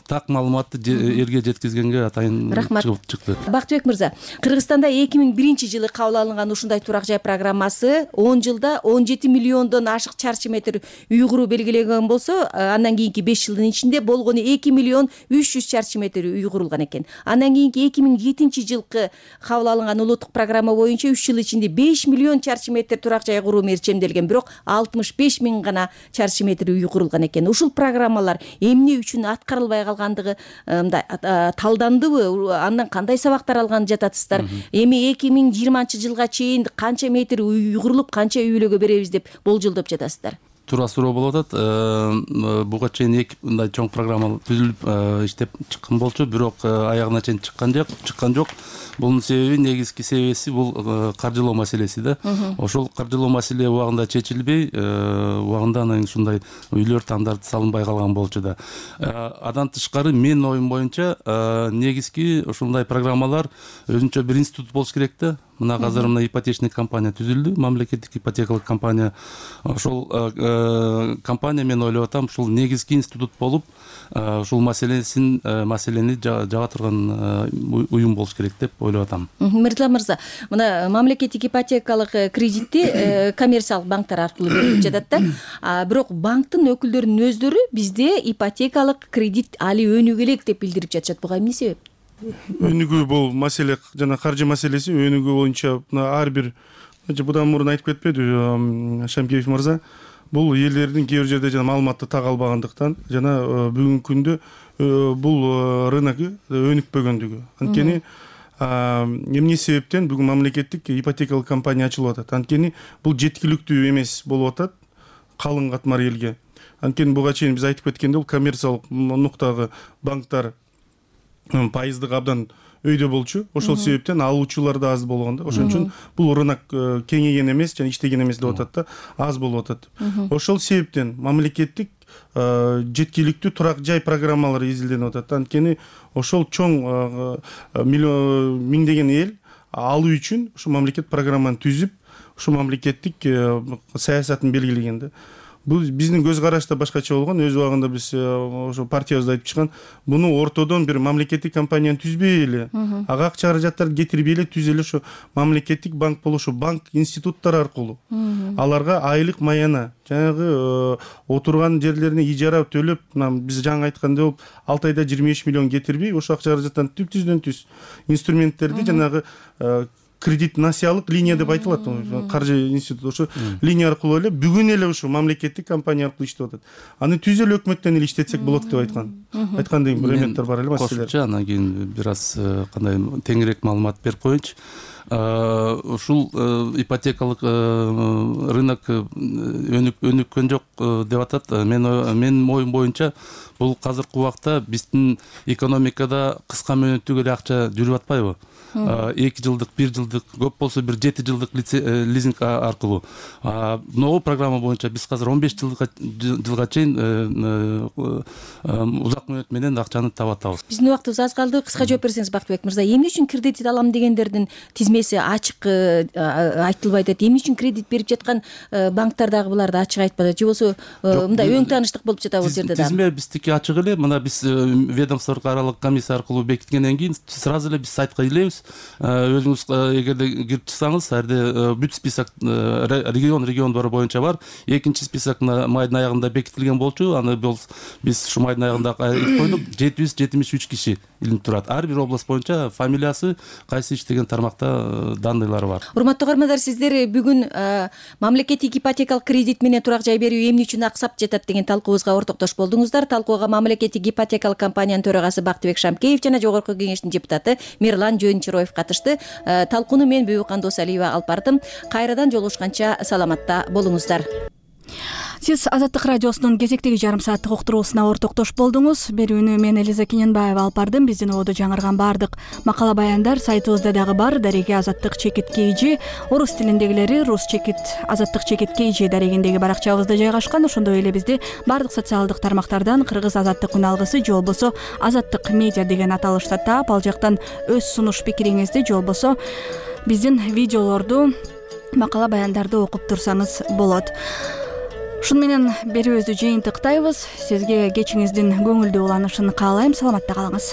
так маалыматты элге жеткизгенге атайын чыкты. Бактыбек мырза, Кыргызстанда 2001-жылы кабыл алынган ушундай турак жай программасы 10 жылда 17 миллиондон ашык чарчы метр үй куруу белгилеген болсо, андан кийинки 5 жылдын ичинде болгону 2 миллион 300 чарчы метр үй курулган экен. Андан кийинки 2007-жылкы кабыл алынган улуттук программа боюнча 3 жыл ичинде 5 миллион чарчы метр турак жай куруу мерчемделген, бирок 65 миң гана чарчы метр үй курулган экен. Ушул программалар эмне үчүн аткарылбай калгандыгы талдандыбы? Андан кандай сабактар алган жатасыздар? Эми 2020-жылга чейин канча метр үй курулуп, канча үйлөгө беребиз деп болжолдоп жатасыздар? Туура суроо болуп атат. Буга чейин эки мындай чоң программа түзүлүп иштеп чыккан болчу, бирок аягына чейин чыккан жок. Бунун себеби, негизги себеби бул каржылоо маселеси да. Ошол каржылоо маселе убагында чечилбей, убагында анан ушундай үйлөр стандарт салынбай калган болчу да. Андан тышкары менин оюм боюнча негизги ушундай программалар өзүнчө бир институт болуш керек да. Мына азыр мына ипотечный компания түзүлдү, мамлекеттик ипотекалык компания. Ошол компания, мен ойлоп атам, ушул негизги институт болуп, ушул маселени жаба турган уюм болуш керек деп ойлоп атам. Мырза мырза, мына мамлекеттик ипотекалык кредитти коммерциялык банктар аркылуу берилип жатат да. Бирок банктын өкүлдөрүнүн өздөрү бизде ипотекалык кредит али өнүгө элек деп билдирип жатышат. Буга эмне себеп? Өнүгүү бул маселе, жана каржы маселеси өнүгүү боюнча ар бир, будан мурун айтып кетпеди Шамкеев мырза, бул элдердин кээ бир жерде жана маалыматты так албагандыктан, жана бүгүнкү күндө бул рынок өнүкпөгөндүгү. Анткени эмне себептен бүгүн мамлекеттик ипотекалык компания ачылып атат? Анткени бул жеткиликтүү эмес болуп атат калың катмар элге. Анткени буга чейин биз айтып кеткендей, бул коммерциялык нуктагы банктар пайыздык абдан өйдө болчу. Ошол себептен алуучулар да аз болгон да. Ошон үчүн бул рынок кеңейген эмес жана иштеген эмес деп атат да, аз болуп атат. Ошол себептен мамлекеттик жеткиликтүү турак жай программалары изилденип атат. Анткени ошол чоң миңдеген эл алуу үчүн ушу мамлекет программаны түзүп, ушу мамлекеттик саясатын белгилеген да. Бул биздин көз караш да башкача болгон. Өз убагында биз ошо партиябызда айтып чыккан, буну ортодон бир мамлекеттик компанияны түзбөй эле, ага акча каражаттарды кетирбей эле түз эле ошо мамлекеттик банк болуп, ошо банк институттары аркылуу аларга айлык маяна, жанагы отурган жерлерине ижара төлөп, биз жаңы айткандай болуп, 6 айда 25 миллион кетирбей, ошо акча каражаттан түздөн түз инструменттерди жанагы кредит насыялык линия деп айтылат, каржы институту ошо линия аркылуу эле бүгүн эле ушу мамлекеттик компания аркылуу иштеп атат. Аны түз эле өкмөттөн эле иштетсек болот деп айткан. Айткандай бир эметтер бар эле маселелер. Кошумча анан кийин бир аз кандай теңирээк маалымат берип коеюнчу. Ушул ипотекалык рынок өнүккөн жок деп атат. Менин оюм боюнча бул азыркы убакта биздин экономикада кыска мөөнөттүк эле акча жүрүп атпайбы? 2 жылдык, 1 жылдык, көп болсо бир 7 жылдык лизинг аркылуу. Новый программа боюнча биз азыр 15 жылга чейин узак мөөнөт менен акчаны таап атабыз. Биздин убактыбыз аз калды. Кыска жооп берсеңиз Бактыбек мырза, эмне үчүн кредит алам дегендердин тизмети тизмеси ачык айтылбайт атат. Эмне үчүн кредит берип жаткан банктар дагы буларды ачык айтпады, же болбосо мындай өң тааныштык болуп жатабы бул жерде дагы? Тизме биздики ачык эле. Мына биз ведомство аралык комиссия аркылуу бекиткенден кийин сразу эле биз сайтка илебиз. Өзүңүз эгерде кирип чыксаңыз, жерде бүт список региондор боюнча бар. Экинчи список майдын аягында бекитилген болчу. Аны биз ушу майдын аягында илип койдук. 773 киши илинип турат. Ар бир область боюнча фамилиясы, кайсы иштеген тармакта данныйлары бар. Урматтуу каармандар, сиздер бүгүн мамлекеттик ипотекалык кредит менен турак жай берүү эмне үчүн аксап жатат деген талкуубузга ортоктош болдуңуздар. Талкууга мамлекеттик ипотекалык компаниянын төрагасы Бактыбек Шамкеев жана жогорку кеңештин депутаты Мирлан Жөнчироев катышты. Талкууну мен Бүбүкан Досалиева алып бардым. Кайрадан жолугушканча саламатта болуңуздар. Сиз Азаттык радиосунун кезектеги жарым сааттык уктуруусуна ортоктош болдуңуз. Берүүнү мен Элиза Кененбаева алып бардым. Биздин ободо жаңырган баардык макала баяндар сайтыбызда дагы бар. Дареги Азаттык чекит KG, орус тилиндегилери рус чекит Азаттык чекит KG дарегиндеги баракчабызда жайгашкан. Ошондой эле бизди баардык социалдык тармактардан Кыргыз Азаттык күн алгысы же болбосо Азаттык медиа деген аталышта таап, ал жактан өз сунуш пикириңизди же болбосо биздин видеолорду, макала баяндарды окуп турсаңыз болот. Ушун менен берүүбүздү жыйынтыктайбыз. Сизге кечиңиздин көңүлдүү уланышын каалайм. Саламатта калыңыз.